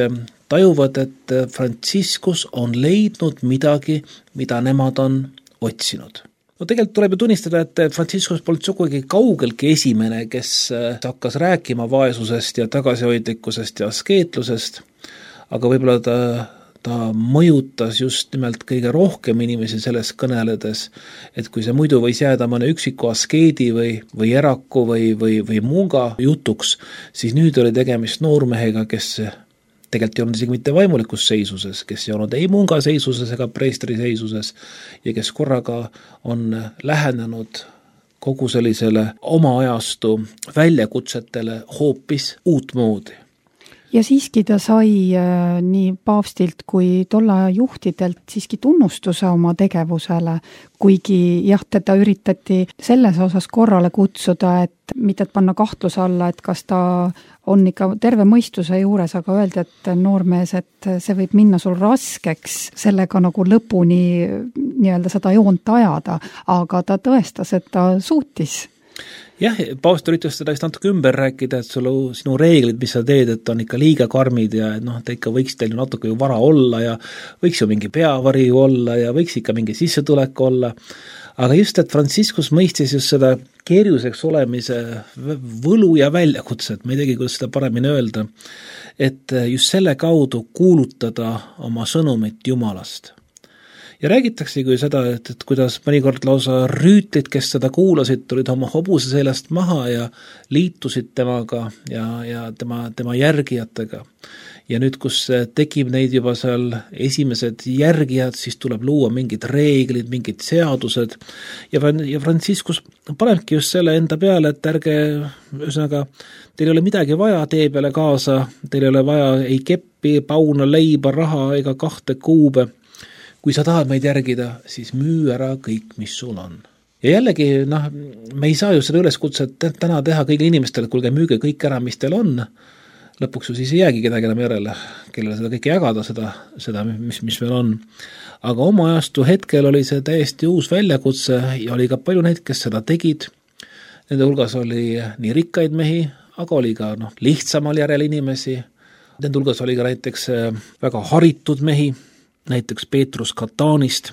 tajuvad, et Franciscus on leidnud midagi, mida nemad on otsinud. No tegelikult tuleb ju tunnistada, et Franciscus polnud sugugi kaugeltki esimene, kes hakkas rääkima vaesusest ja tagasihoidlikkusest ja askeetlusest, aga võib-olla ta, ta mõjutas just nimelt kõige rohkem inimesi selles kõneledes, et kui see muidu võis jääda mõne üksiku askeedi või, või eraku või, või, või munga jutuks, siis nüüd oli tegemist noormehega, kes tegelikult ei olnud isegi mitte vaimulikus seisuses, kes ei olnud ei munga seisuses ega preestri seisuses ja kes korraga on lähenenud kogu sellisele oma ajastu väljakutsetele hoopis uutmoodi. Ja siiski ta sai äh, nii paavstilt kui tolla juhtidelt siiski tunnustuse oma tegevusele, kuigi jah, teda üritati selles osas korrale kutsuda, et mitte et panna kahtluse alla, et kas ta on ikka terve mõistuse juures, aga öeldi, et noormees, et see võib minna sul raskeks sellega nagu lõpuni nii-öelda seda joont ajada, aga ta tõestas, et ta suutis. Jah, paavst üritas seda vist natuke ümber rääkida, et sul, sinu reeglid, mis sa teed, et on ikka liiga karmid ja noh, ta ikka võiks teil natuke ju vara olla ja võiks ju mingi peavari olla ja võiks ikka mingi sissetulek olla. Aga just, et Franciscus mõistis just seda kerjuseks olemise võlu ja väljakutset, ma ei teagi, kuidas seda paremini öelda, et just selle kaudu kuulutada oma sõnumit Jumalast. Ja räägitakse kui seda, et, et kuidas mõnikord lausa rüütlid, kes seda kuulasid, tulid oma hobuse seljast maha ja liitusid temaga ja, ja tema, tema järgijatega. Ja nüüd, kus tekib neid juba seal esimesed järgijad, siis tuleb luua mingid reeglid, mingid seadused ja, ja Franciscus panebki just selle enda peale, et ärge, ühesõnaga, teil ei ole midagi vaja tee peale kaasa, teil ei ole vaja ei keppi, pauna, leiba, raha ega kahte kuube. Kui sa tahad meid järgida, siis müü ära kõik, mis sul on. Ja jällegi, noh, me ei saa ju seda üleskutset täna teha kõigile inimestele, kuulge müüge kõik ära, mis teil on. Lõpuks ju siis ei jäägi kedagi enam järele, kellele seda kõike jagada, seda, seda mis, mis meil on. Aga oma ajastu hetkel oli see täiesti uus väljakutse ja oli ka palju neid, kes seda tegid. Nende hulgas oli nii rikkaid mehi, aga oli ka noh, lihtsamal järel inimesi. Nende hulgas oli ka näiteks väga haritud mehi, näiteks Petrus Katanist,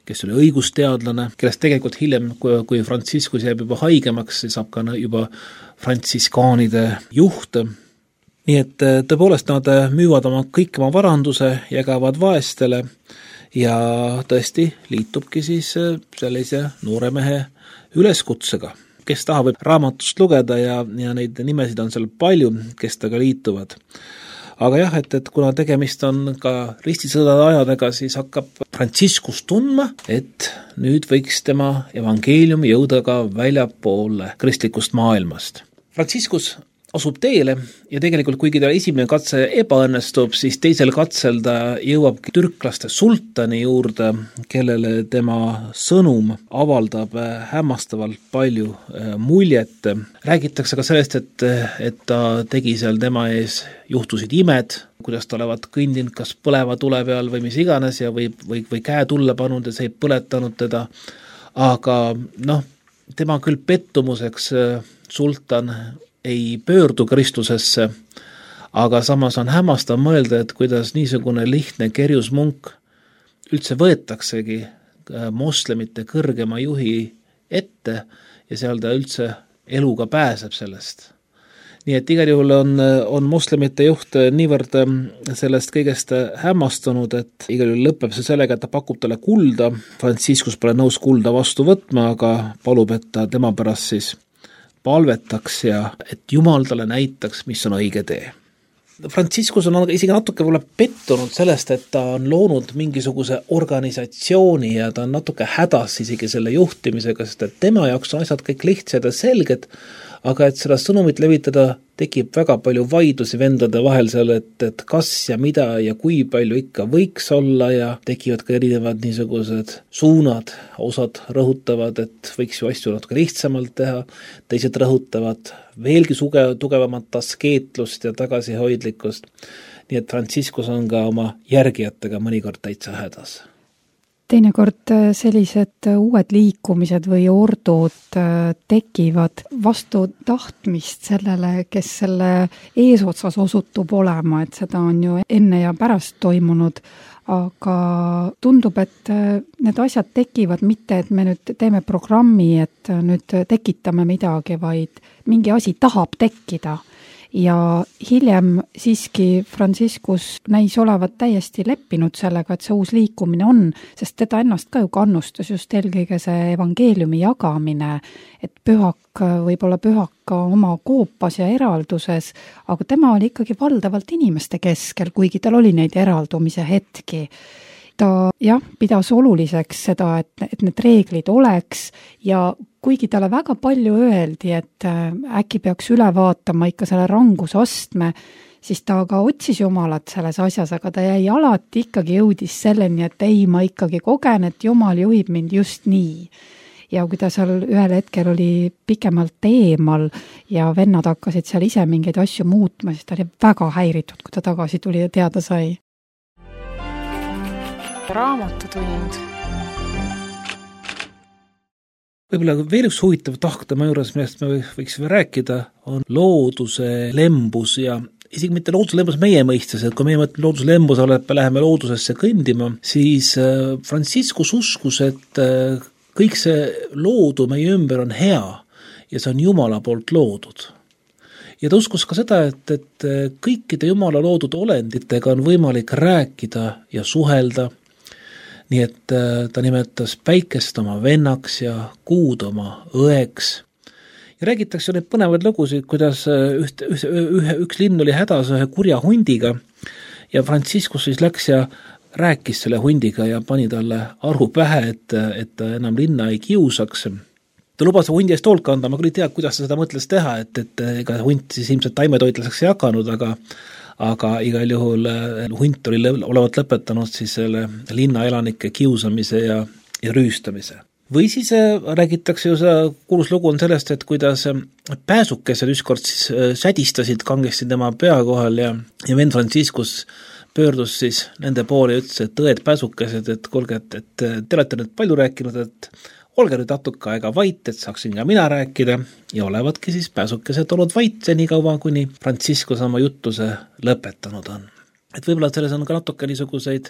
kes oli õigusteadlane, kellest tegelikult hiljem, kui, kui Franciscus jääb juba haigemaks, siis saab ka juba frantsiskaanide juht. Nii et tõepoolest nad müüvad oma kõik oma varanduse, jagavad vaestele ja tõesti liitubki siis sellise noore mehe üleskutsega, kes tahab raamatust lugeda ja, ja neid nimesid on seal palju, kes taga liituvad. Aga jah, et, et kuna tegemist on ka ristisõdade ajadega, siis hakkab Franciscus tundma, et nüüd võiks tema evangeelium jõuda ka väljapoole kristlikust maailmast. Franciscus asub teele ja tegelikult kuigi ta esimene katse ebaõnnestub, siis teisel katsel ta jõuab türklaste sultani juurde, kellele tema sõnum avaldab hämmastavalt palju muljet. Räägitakse ka sellest, et, et ta tegi seal tema ees juhtusid imed, kuidas ta olevat kõndinud kas põleva tule peal või mis iganes ja või, või, või käe tulle pannud ja see ei põletanud teda. Aga noh, tema küll pettumuseks sultan ei pöördu Kristusesse, aga samas on hämmastav mõelda, et kuidas niisugune lihtne kerjusmunk üldse võetaksegi moslemite kõrgema juhi ette ja seal ta üldse eluga pääseb sellest. Nii et igal juhul on, on moslemite juht niivõrd sellest kõigest hämmastunud, et igal juhul lõpeb see sellega, et ta pakub talle kulda. Franciscus pole nõus kulda vastu võtma, aga palub, et ta tema pärast siis palvetaks ja et Jumal talle näitaks, mis on õige tee. Franciscus on isegi natuke võib-olla pettunud sellest, et ta on loonud mingisuguse organisatsiooni ja ta on natuke hädas isegi selle juhtimisega, sest et tema jaoks on asjad kõik lihtsad ja selged, aga et seda sõnumit levitada, tekib väga palju vaidlusi vendade vahel seal, et, et kas ja mida ja kui palju ikka võiks olla ja tekivad ka erinevad niisugused suunad, osad rõhutavad, et võiks ju asju natuke lihtsamalt teha, teised rõhutavad veelgi suge, tugevamat askeetlust ja tagasihoidlikkust, nii et Franciscus on ka oma järgijatega mõnikord täitsa hädas. Teinekord sellised uued liikumised või ordud tekivad vastu tahtmist sellele, kes selle eesotsas osutub olema, et seda on ju enne ja pärast toimunud, aga tundub, et need asjad tekivad mitte, et me nüüd teeme programmi, et nüüd tekitame midagi, vaid mingi asi tahab tekkida. Ja hiljem siiski Franciscus näis olevat täiesti leppinud sellega, et see uus liikumine on, sest teda ennast ka ju kannustas just eelkõige see evangeeliumi jagamine, et pühak võib olla pühak ka oma koopas ja eralduses, aga tema oli ikkagi valdavalt inimeste keskel, kuigi tal oli neid eraldumise hetki. Ta jah, pidas oluliseks seda, et, et need reeglid oleks ja kuigi talle väga palju öeldi, et äkki peaks üle vaatama ikka selle rangusastme, siis ta ka otsis Jumalat selles asjas, aga ta jäi alati ikkagi jõudis selleni, et ei, ma ikkagi kogen, et Jumal juhib mind just nii. Ja kui ta seal ühel hetkel oli pikemalt eemal ja vennad hakkasid seal ise mingeid asju muutma, siis ta oli väga häiritud, kui ta tagasi tuli ja teada sai. Raamatutund. Võib-olla veel üks huvitav tahtema juures, millest me võiksime rääkida, on looduse lembus ja isegi mitte looduse lembus meie mõistes, et kui meie mõtleme looduse lembus, me läheme loodusesse kõndima, siis Franciscus uskus, et kõik see loodu meie ümber on hea ja see on Jumala poolt loodud. Ja ta uskus ka seda, et, et kõikide Jumala loodud olenditega on võimalik rääkida ja suhelda. Nii et ta nimetas päikest oma vennaks ja kuud oma õeks. Ja räägitakse neid põnevaid lugusid, kuidas üht, üht, ühe, üks linn oli hädas ühe kurja hundiga ja Franciscus siis läks ja rääkis selle hundiga ja pani talle aru pähe, et, et ta enam linna ei kiusaks. Ta lubas hundi eest hoolt kanda, ma küll ei tea, kuidas ta seda mõtles teha, et, et ega hunt siis ilmselt taimetoitlaseks ei hakanud, aga aga igal juhul hunt oli olevat lõpetanud siis selle linnaelanike kiusamise ja, ja rüüstamise. Või siis räägitakse ju see kuulus lugu on sellest, et kuidas pääsukesed ükskord siis sädistasid kangesti tema pea kohal ja, ja vend Franciscus pöördus siis nende poole ja ütles, et õed pääsukesed, et kuulge, et, et te olete nüüd palju rääkinud, et olge nüüd natuke aega vait, et saaksin ka mina rääkida ja olevatki siis pääsukesed olnud vait nii kaua, kuni Franciscus oma juttuse lõpetanud on. Et võib-olla selles on ka natuke niisuguseid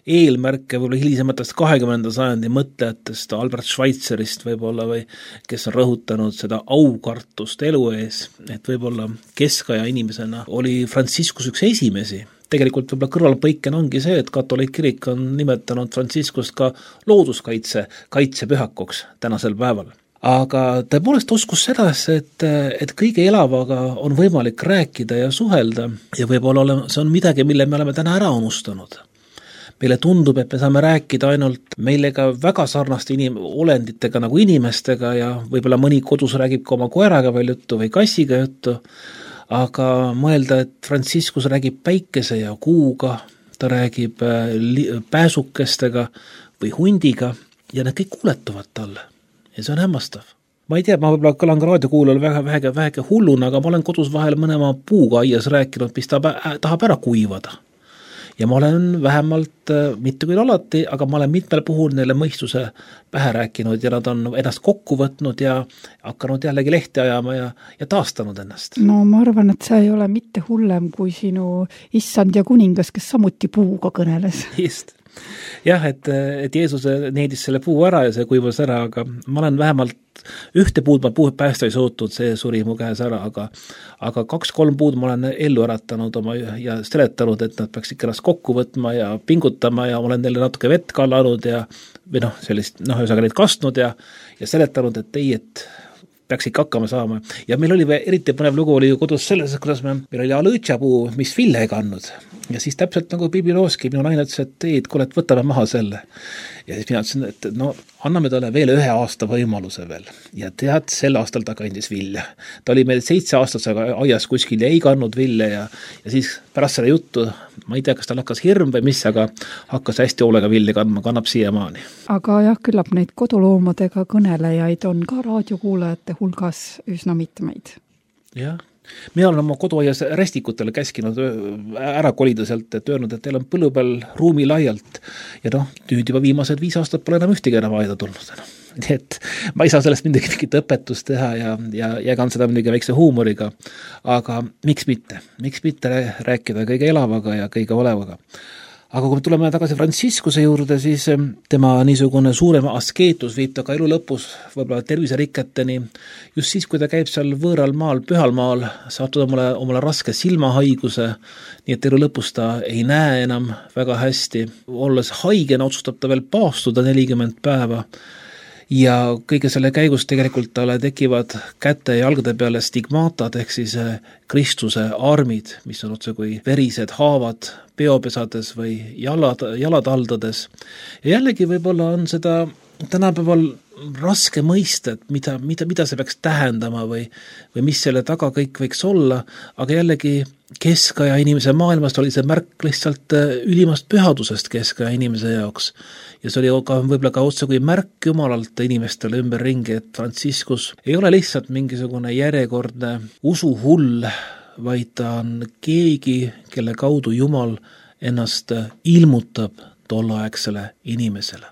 eelmärke võib-olla hilisematest kahekümnenda sajandi mõtlejatest, Albert Schweitzerist võib-olla või kes on rõhutanud seda aukartust elu ees, et võib-olla keskaja inimesena oli Franciscus üks esimesi. Tegelikult võib-olla kõrvalpõiken ongi see, et katoliik kirik on nimetanud Franciscust ka looduskaitse kaitsepühakuks tänasel päeval. Aga tõepoolest uskus seda, et, et kõige elavaga on võimalik rääkida ja suhelda ja võib-olla see on midagi, mille me oleme täna ära unustanud. Meile tundub, et me saame rääkida ainult meilega väga sarnaste inim- olenditega nagu inimestega ja võib-olla mõni kodus räägib ka oma koeraga veel juttu või kassiga juttu, aga mõelda, et Franciscus räägib päikese ja kuuga, ta räägib pääsukestega või hundiga ja need kõik kuuletuvad talle ja see on hämmastav. Ma ei tea, ma võib-olla kõlan ka raadiokuulajal väga vähege, vähege hulluna, aga ma olen kodus vahel mõnema puuga aias rääkinud, mis ta tahab ära kuivada. Ja ma olen vähemalt, mitte küll alati, aga ma olen mitmel puhul neile mõistuse pähe rääkinud ja nad on ennast kokku võtnud ja hakanud jällegi lehti ajama ja, ja taastanud ennast. No ma arvan, et see ei ole mitte hullem kui sinu issand ja kuningas, kes samuti puuga kõneles. Just. Jah, et, et Jeesus needis selle puu ära ja see kuivas ära, aga ma olen vähemalt ühte puud ma puud päästa ei suutnud, see suri mu käes ära, aga, aga kaks-kolm puud ma olen ellu äratanud oma ja seletanud, et nad peaks ikka ennast kokku võtma ja pingutama ja olen neile natuke vett kallanud ja või noh, sellist, noh, üsaga neid kastnud ja, ja seletanud, et ei, et peaks ikka hakkama saama. Ja meil oli eriti põnev lugu oli ju kodus selles, kuidas me, meil oli alõõtsapuu, mis vilja ei kandnud. Ja siis täpselt nagu piibilooski, minu naine ütles, et ei, et kuule, et võtame maha selle. ja siis mina ütlesin, et no anname talle veel ühe aasta võimaluse veel. Ja tead, sel aastal ta kandis vilja. Ta oli meil seitse aastat aias kuskil ja ei kandnud vilja ja, ja siis pärast seda juttu, ma ei tea, kas tal hakkas hirm või mis, aga hakkas hästi hoolega vilja kandma, kannab siiamaani. Aga jah, küllap neid koduloomadega kõnelejaid on ka raadiokuulajate hulgas üsna mitmeid. Jah. Mina olen oma koduaias rästikutele käskinud ära kolida sealt, et öelnud, et teil on põllu peal ruumi laialt ja noh, nüüd juba viimased viis aastat pole enam ühtegi enam aeda tulnud. Nii et ma ei saa sellest midagi mingit õpetust teha ja, ja jagan seda midagi väikse huumoriga, aga miks mitte? Miks mitte rääkida kõige elavaga ja kõige olevaga? Aga kui me tuleme tagasi Franciscuse juurde, siis tema niisugune suurem askeetus viib ta ka elu lõpus võib-olla terviseriketeni. Just siis, kui ta käib seal võõral maal, pühal maal, saab ta omale, omale raske silmahaiguse, nii et elu lõpus ta ei näe enam väga hästi. Olles haigena otsustab ta veel paastuda nelikümmend päeva. Ja kõige selle käigus tegelikult talle tekivad käte ja jalgade peale stigmatad ehk siis Kristuse armid, mis on otse kui verised haavad peopesades või jalad, jalataldades. Ja jällegi võib-olla on seda tänapäeval raske mõista, et mida, mida, mida see peaks tähendama või, või mis selle taga kõik võiks olla, aga jällegi keskaja inimese maailmast oli see märk lihtsalt ülimast pühadusest keskaja inimese jaoks. Ja see oli ka võib-olla ka otse kui märk Jumalalt inimestele ümber ringi, et Franciscus ei ole lihtsalt mingisugune järjekordne usuhull, vaid ta on keegi, kelle kaudu Jumal ennast ilmutab tolleaegsele inimesele.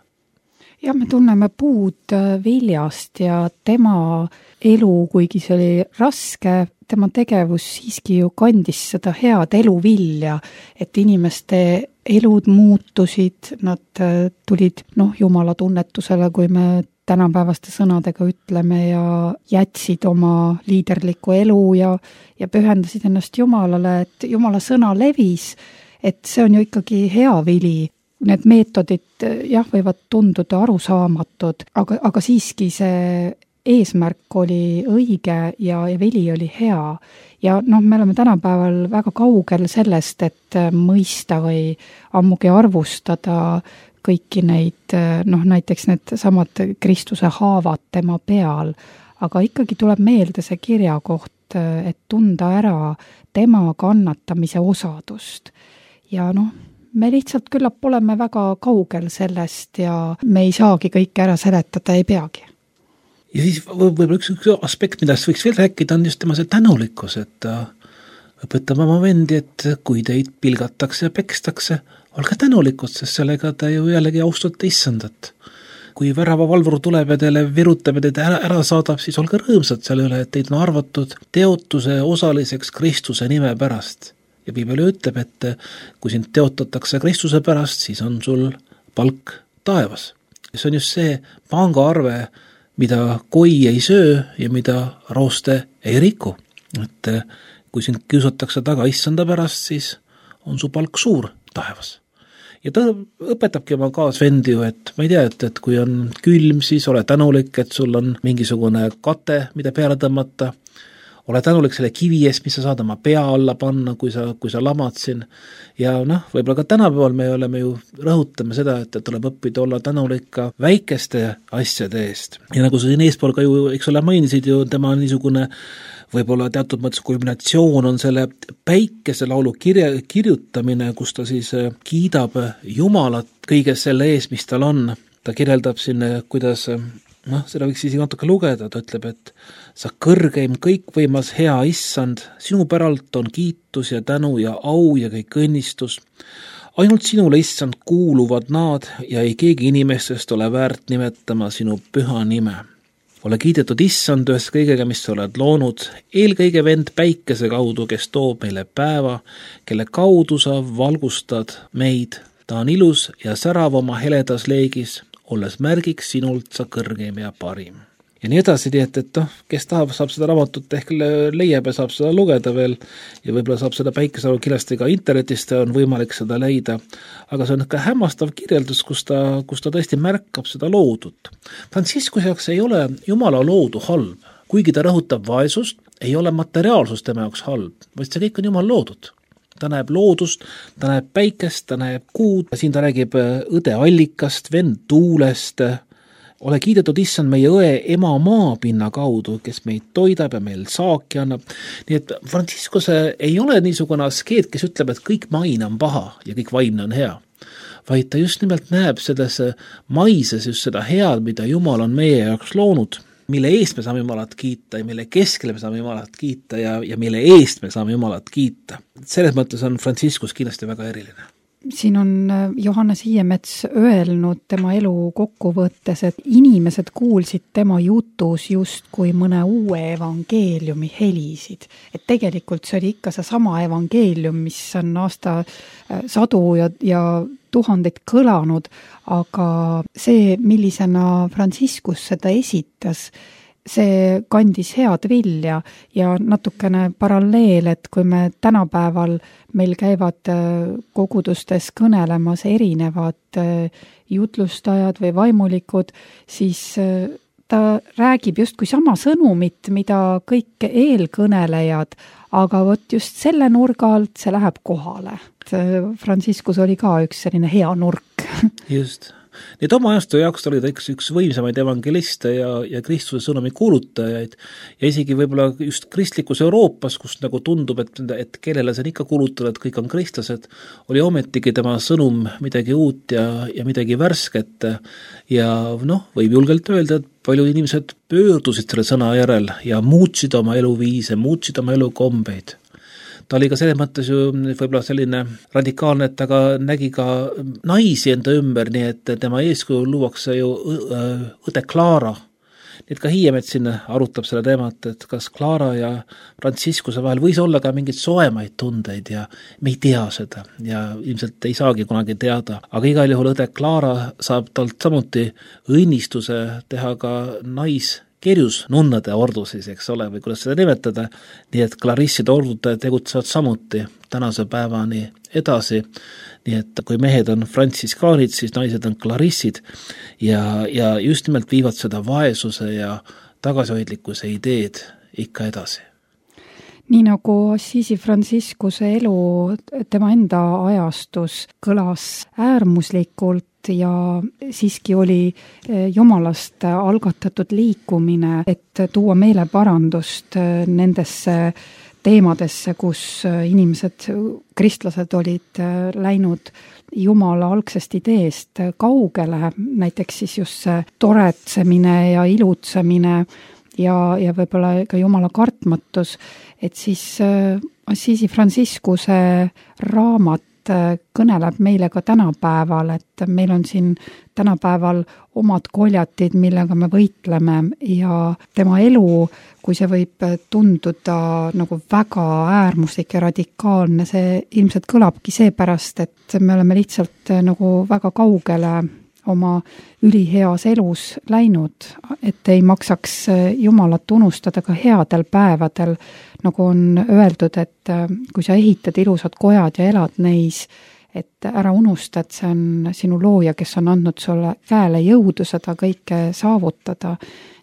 Ja me tunneme puud viljast ja tema elu, kuigi see oli raske, tema tegevus siiski ju kandis seda head eluvilja, et inimeste elud muutusid, nad tulid noh, Jumala tunnetusele, kui me tänapäevaste sõnadega ütleme ja jätsid oma liiderliku elu ja, ja pühendasid ennast Jumalale, et Jumala sõna levis, et see on ju ikkagi hea vili. Need meetodid jah, võivad tunduda arusaamatud, aga, aga siiski see eesmärk oli õige ja, ja vili oli hea. Ja noh, me oleme tänapäeval väga kaugel sellest, et mõista või ammugi arvustada kõiki neid, noh näiteks need samad Kristuse haavad tema peal, aga ikkagi tuleb meelde see kirjakoht, et tunda ära tema kannatamise osadust. Ja noh, me lihtsalt küllap oleme väga kaugel sellest ja me ei saagi kõike ära seletada, ei peagi. Ja siis võib-olla üks, üks aspekt, millest võiks veel rääkida, on just tema see tänulikkus, et ta õpetab oma vendi, et kui teid pilgatakse ja pekstakse, olge tänulikud, sest sellega ta ju jällegi austate issandat. Kui värava valvur tuleb ja teile virutab ja teid ära, ära saadab, siis olge rõõmsad selle üle, et teid on arvatud teotuse osaliseks Kristuse nime pärast. Ja Piibel ütleb, et kui sind teotatakse Kristuse pärast, siis on sul palk taevas. See on just see pangaarve, mida koi ei söö ja mida rooste ei riku. Et kui sind kiusatakse taga issanda pärast, siis on su palk suur taevas. Ja ta õpetabki oma kaasvendi ju, et ma ei tea, et, et kui on külm, siis ole tänulik, et sul on mingisugune kate, mida peale tõmmata. Ole tänulik selle kivi eest, mis sa saad oma pea alla panna, kui sa, kui sa lamad siin. Ja noh, võib-olla ka tänapäeval me oleme ju rõhutame seda, et tuleb õppida olla tänulik ka väikeste asjade eest. Ja nagu sa siin eespool ka ju, eks ole, mainisid ju, tema niisugune võib-olla teatud mõttes kulminatsioon on selle päikese laulu kirja, kirjutamine, kus ta siis kiidab Jumalat kõige selle ees, mis tal on. Ta kirjeldab siin, kuidas noh, seda võiks isegi natuke lugeda, ta ütleb, et sa kõrgeim kõikvõimas hea issand, sinu päralt on kiitus ja tänu ja au ja kõik õnnistus. Ainult sinule issand kuuluvad nad ja ei keegi inimestest ole väärt nimetama sinu püha nime. Ole kiidetud issand ühes kõigega, mis sa oled loonud, eelkõige vend päikese kaudu, kes toob meile päeva, kelle kaudu sa valgustad meid. Ta on ilus ja särav oma heledas leegis, olles märgiks sinult sa kõrgeim ja parim. Ja nii edasi, nii et, et noh, kes tahab, saab seda raamatut ehk leiab ja saab seda lugeda veel ja võib-olla saab seda päikesalu kindlasti ka internetist on võimalik seda leida. Aga see on ka hämmastav kirjeldus, kus ta, kus ta tõesti märkab seda loodut. Franciscus jaoks ei ole Jumala loodu halb. Kuigi ta rõhutab vaesust, ei ole materiaalsus tema jaoks halb, vaid see kõik on Jumal loodud. ta näeb loodust, ta näeb päikest, ta näeb kuud, siin ta räägib õde allikast, vend tuulest, ole kiidetud issand meie õe ema maapinna kaudu, kes meid toidab ja meil saaki annab. Nii et Franciscus ei ole niisugune askeet, kes ütleb, et kõik maine on paha ja kõik vaimne on hea, vaid ta just nimelt näeb selles maises just seda head, mida Jumal on meie jaoks loonud, mille eest me saame Jumalat kiita ja mille keskele me saame Jumalat kiita ja, ja mille eest me saame Jumalat kiita. Selles mõttes on Franciscus kindlasti väga eriline. Siin on Johannes Hiiemets öelnud tema elu kokkuvõttes, et inimesed kuulsid tema jutus just kui mõne uue evangeeliumi helisid. Et tegelikult see oli ikka see sama evangeelium, mis on aasta sadu ja, ja tuhandeid kõlanud, aga see, millisena Franciscus seda esitas, see kandis head vilja ja natukene paralleel, et kui me tänapäeval meil käivad kogudustes kõnelemas erinevad jutlustajad või vaimulikud, siis ta räägib justkui sama sõnumit, mida kõik eelkõnelejad, aga vot just selle nurga alt see läheb kohale. Franciscus oli ka üks selline hea nurk. Just. Nii et oma ajastu jaoks oli ta üks, üks võimsamaid evangeliste ja, ja Kristuse sõnumi kuulutajaid ja isegi võib-olla just kristlikus Euroopas, kus nagu tundub, et, et kellele see on ikka kuulutada, et kõik on kristlased, oli ometigi tema sõnum midagi uut ja, ja midagi värsket ja noh, võib julgelt öelda, et paljud inimesed pöördusid selle sõna järel ja muutsid oma eluviise, muutsid oma elukombeid. Ta oli ka selles mõttes ju võib-olla selline radikaalne, et ta ka nägi ka naisi enda ümber, nii et tema eeskuju luuakse ju õde Clara. Nii et ka Hiiemets siin arutab selle teemat, et kas Clara ja Franciscuse vahel võis olla ka mingeid soemaid tundeid ja me ei tea seda ja ilmselt ei saagi kunagi teada. Aga igal juhul õde Clara saab talt samuti õnnistuse teha ka nais kerjus nunnade ordu siis, eks ole, või kuidas seda nimetada, nii et klarisside ordud tegutsevad samuti tänase päevani edasi, nii et kui mehed on frantsiskaanid, siis naised on klarissid ja, ja just nimelt viivad seda vaesuse ja tagasihoidlikkuse ideed ikka edasi. Nii nagu Assisi Franciscuse elu tema enda ajastus kõlas äärmuslikult ja siiski oli Jumalast algatatud liikumine, et tuua meeleparandust nendesse teemadesse, kus inimesed, kristlased olid läinud Jumala algsest ideest kaugele, näiteks siis just see toretsemine ja ilutsemine ja, ja võib-olla ka Jumala kartmatus, et siis Assisi Franciscuse raamat kõneleb meile ka tänapäeval, et meil on siin tänapäeval omad koljatid, millega me võitleme ja tema elu, kui see võib tunduda nagu väga äärmuslik ja radikaalne, see ilmselt kõlabki seepärast, et me oleme lihtsalt nagu väga kaugele oma üliheas elus läinud, et ei maksaks Jumalat unustada ka headel päevadel, nagu on öeldud, et kui sa ehitad ilusad kojad ja elad neis, et ära unusta, et see on sinu looja, kes on andnud sulle käele jõudu seda kõike saavutada.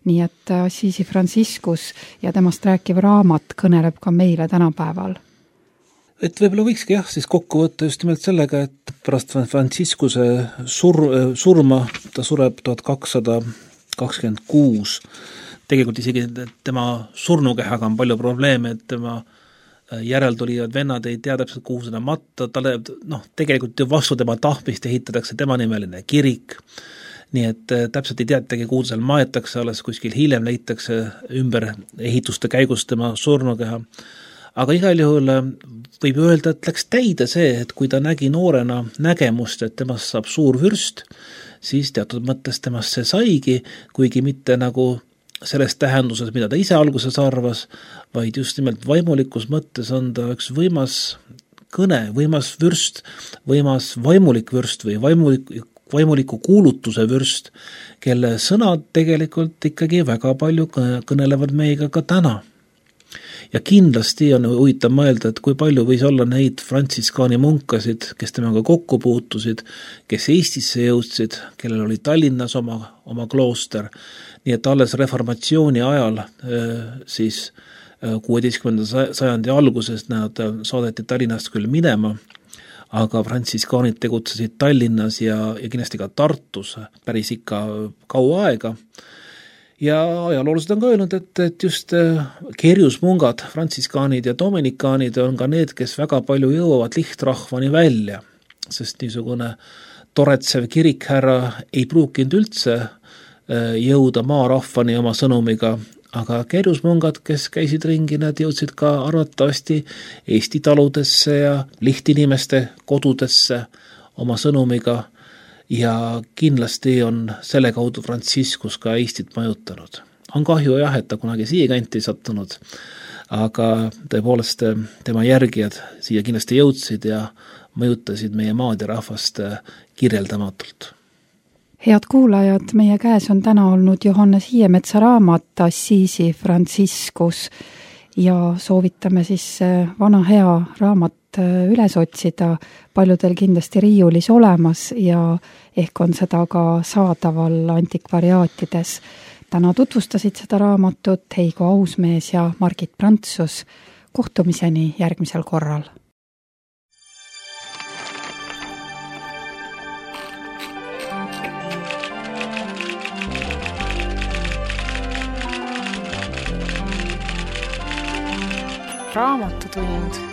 Nii et Assisi Franciscus ja temast rääkiv raamat kõneleb ka meile tänapäeval. Et võib-olla võikski jah, siis kokku võtta just nimelt sellega, et pärast Franciscuse sur- surma, ta sureb tuhat kakssada kakskümmend kuus, tegelikult isegi tema surnukehaga on palju probleeme, et tema järeltulijad vennad ei tea täpselt, kuhu seda matta, talle, noh, tegelikult ju vastu tema tahmist ehitatakse tema nimeline kirik, nii et täpselt ei teatagi, kuhu seal maetakse, alles kuskil hiljem leitakse ümber ehituste käigus tema surnukeha. Aga igal juhul võib öelda, et läks täide see, et kui ta nägi noorena nägemust, et temast saab suur vürst, siis teatud mõttes temast see saigi, kuigi mitte nagu selles tähenduses, mida ta ise alguses arvas, vaid just nimelt vaimulikus mõttes on ta üks võimas kõne, võimas vürst, võimas vaimulik vürst või vaimulik, vaimuliku kuulutuse vürst, kelle sõnad tegelikult ikkagi väga palju kõnelevad meiega ka täna. Ja kindlasti on huvitav mõelda, et kui palju võis olla neid frantsiskaani munkasid, kes temaga kokku puutusid, kes Eestisse jõudsid, kellel oli Tallinnas oma, oma klooster, nii et alles reformatsiooni ajal siis kuueteistkümnenda sajandi alguses nad saadeti Tallinnast küll minema, aga frantsiskaanid tegutsesid Tallinnas ja, ja kindlasti ka Tartus päris ikka kaua aega. Ja ajaloolased on ka öelnud, et, et just kerjusmungad, frantsiskaanid ja dominikaanid on ka need, kes väga palju jõuavad lihtrahvani välja, sest niisugune toretsev kirikhärra ei pruukinud üldse jõuda maarahvani oma sõnumiga, aga kerjusmungad, kes käisid ringi, nad jõudsid ka arvatavasti Eesti taludesse ja lihtinimeste kodudesse oma sõnumiga ja kindlasti on selle kaudu Franciscus ka Eestit majutanud. On kahju jah, et ta kunagi siia kanti sattunud, aga tõepoolest tema järgijad siia kindlasti jõudsid ja mõjutasid meie maad ja rahvast kirjeldamatult. Head kuulajad, meie käes on täna olnud Johannes Hiiemetsa raamat Assisi Franciscus ja soovitame siis vana hea raamat üles otsida, paljudel kindlasti riiulis olemas ja ehk on seda ka saadaval antikvariaatides. Täna tutvustasid seda raamatut Heigo Ausmees ja Margit Prantsus. Kohtumiseni järgmisel korral. Raamatutund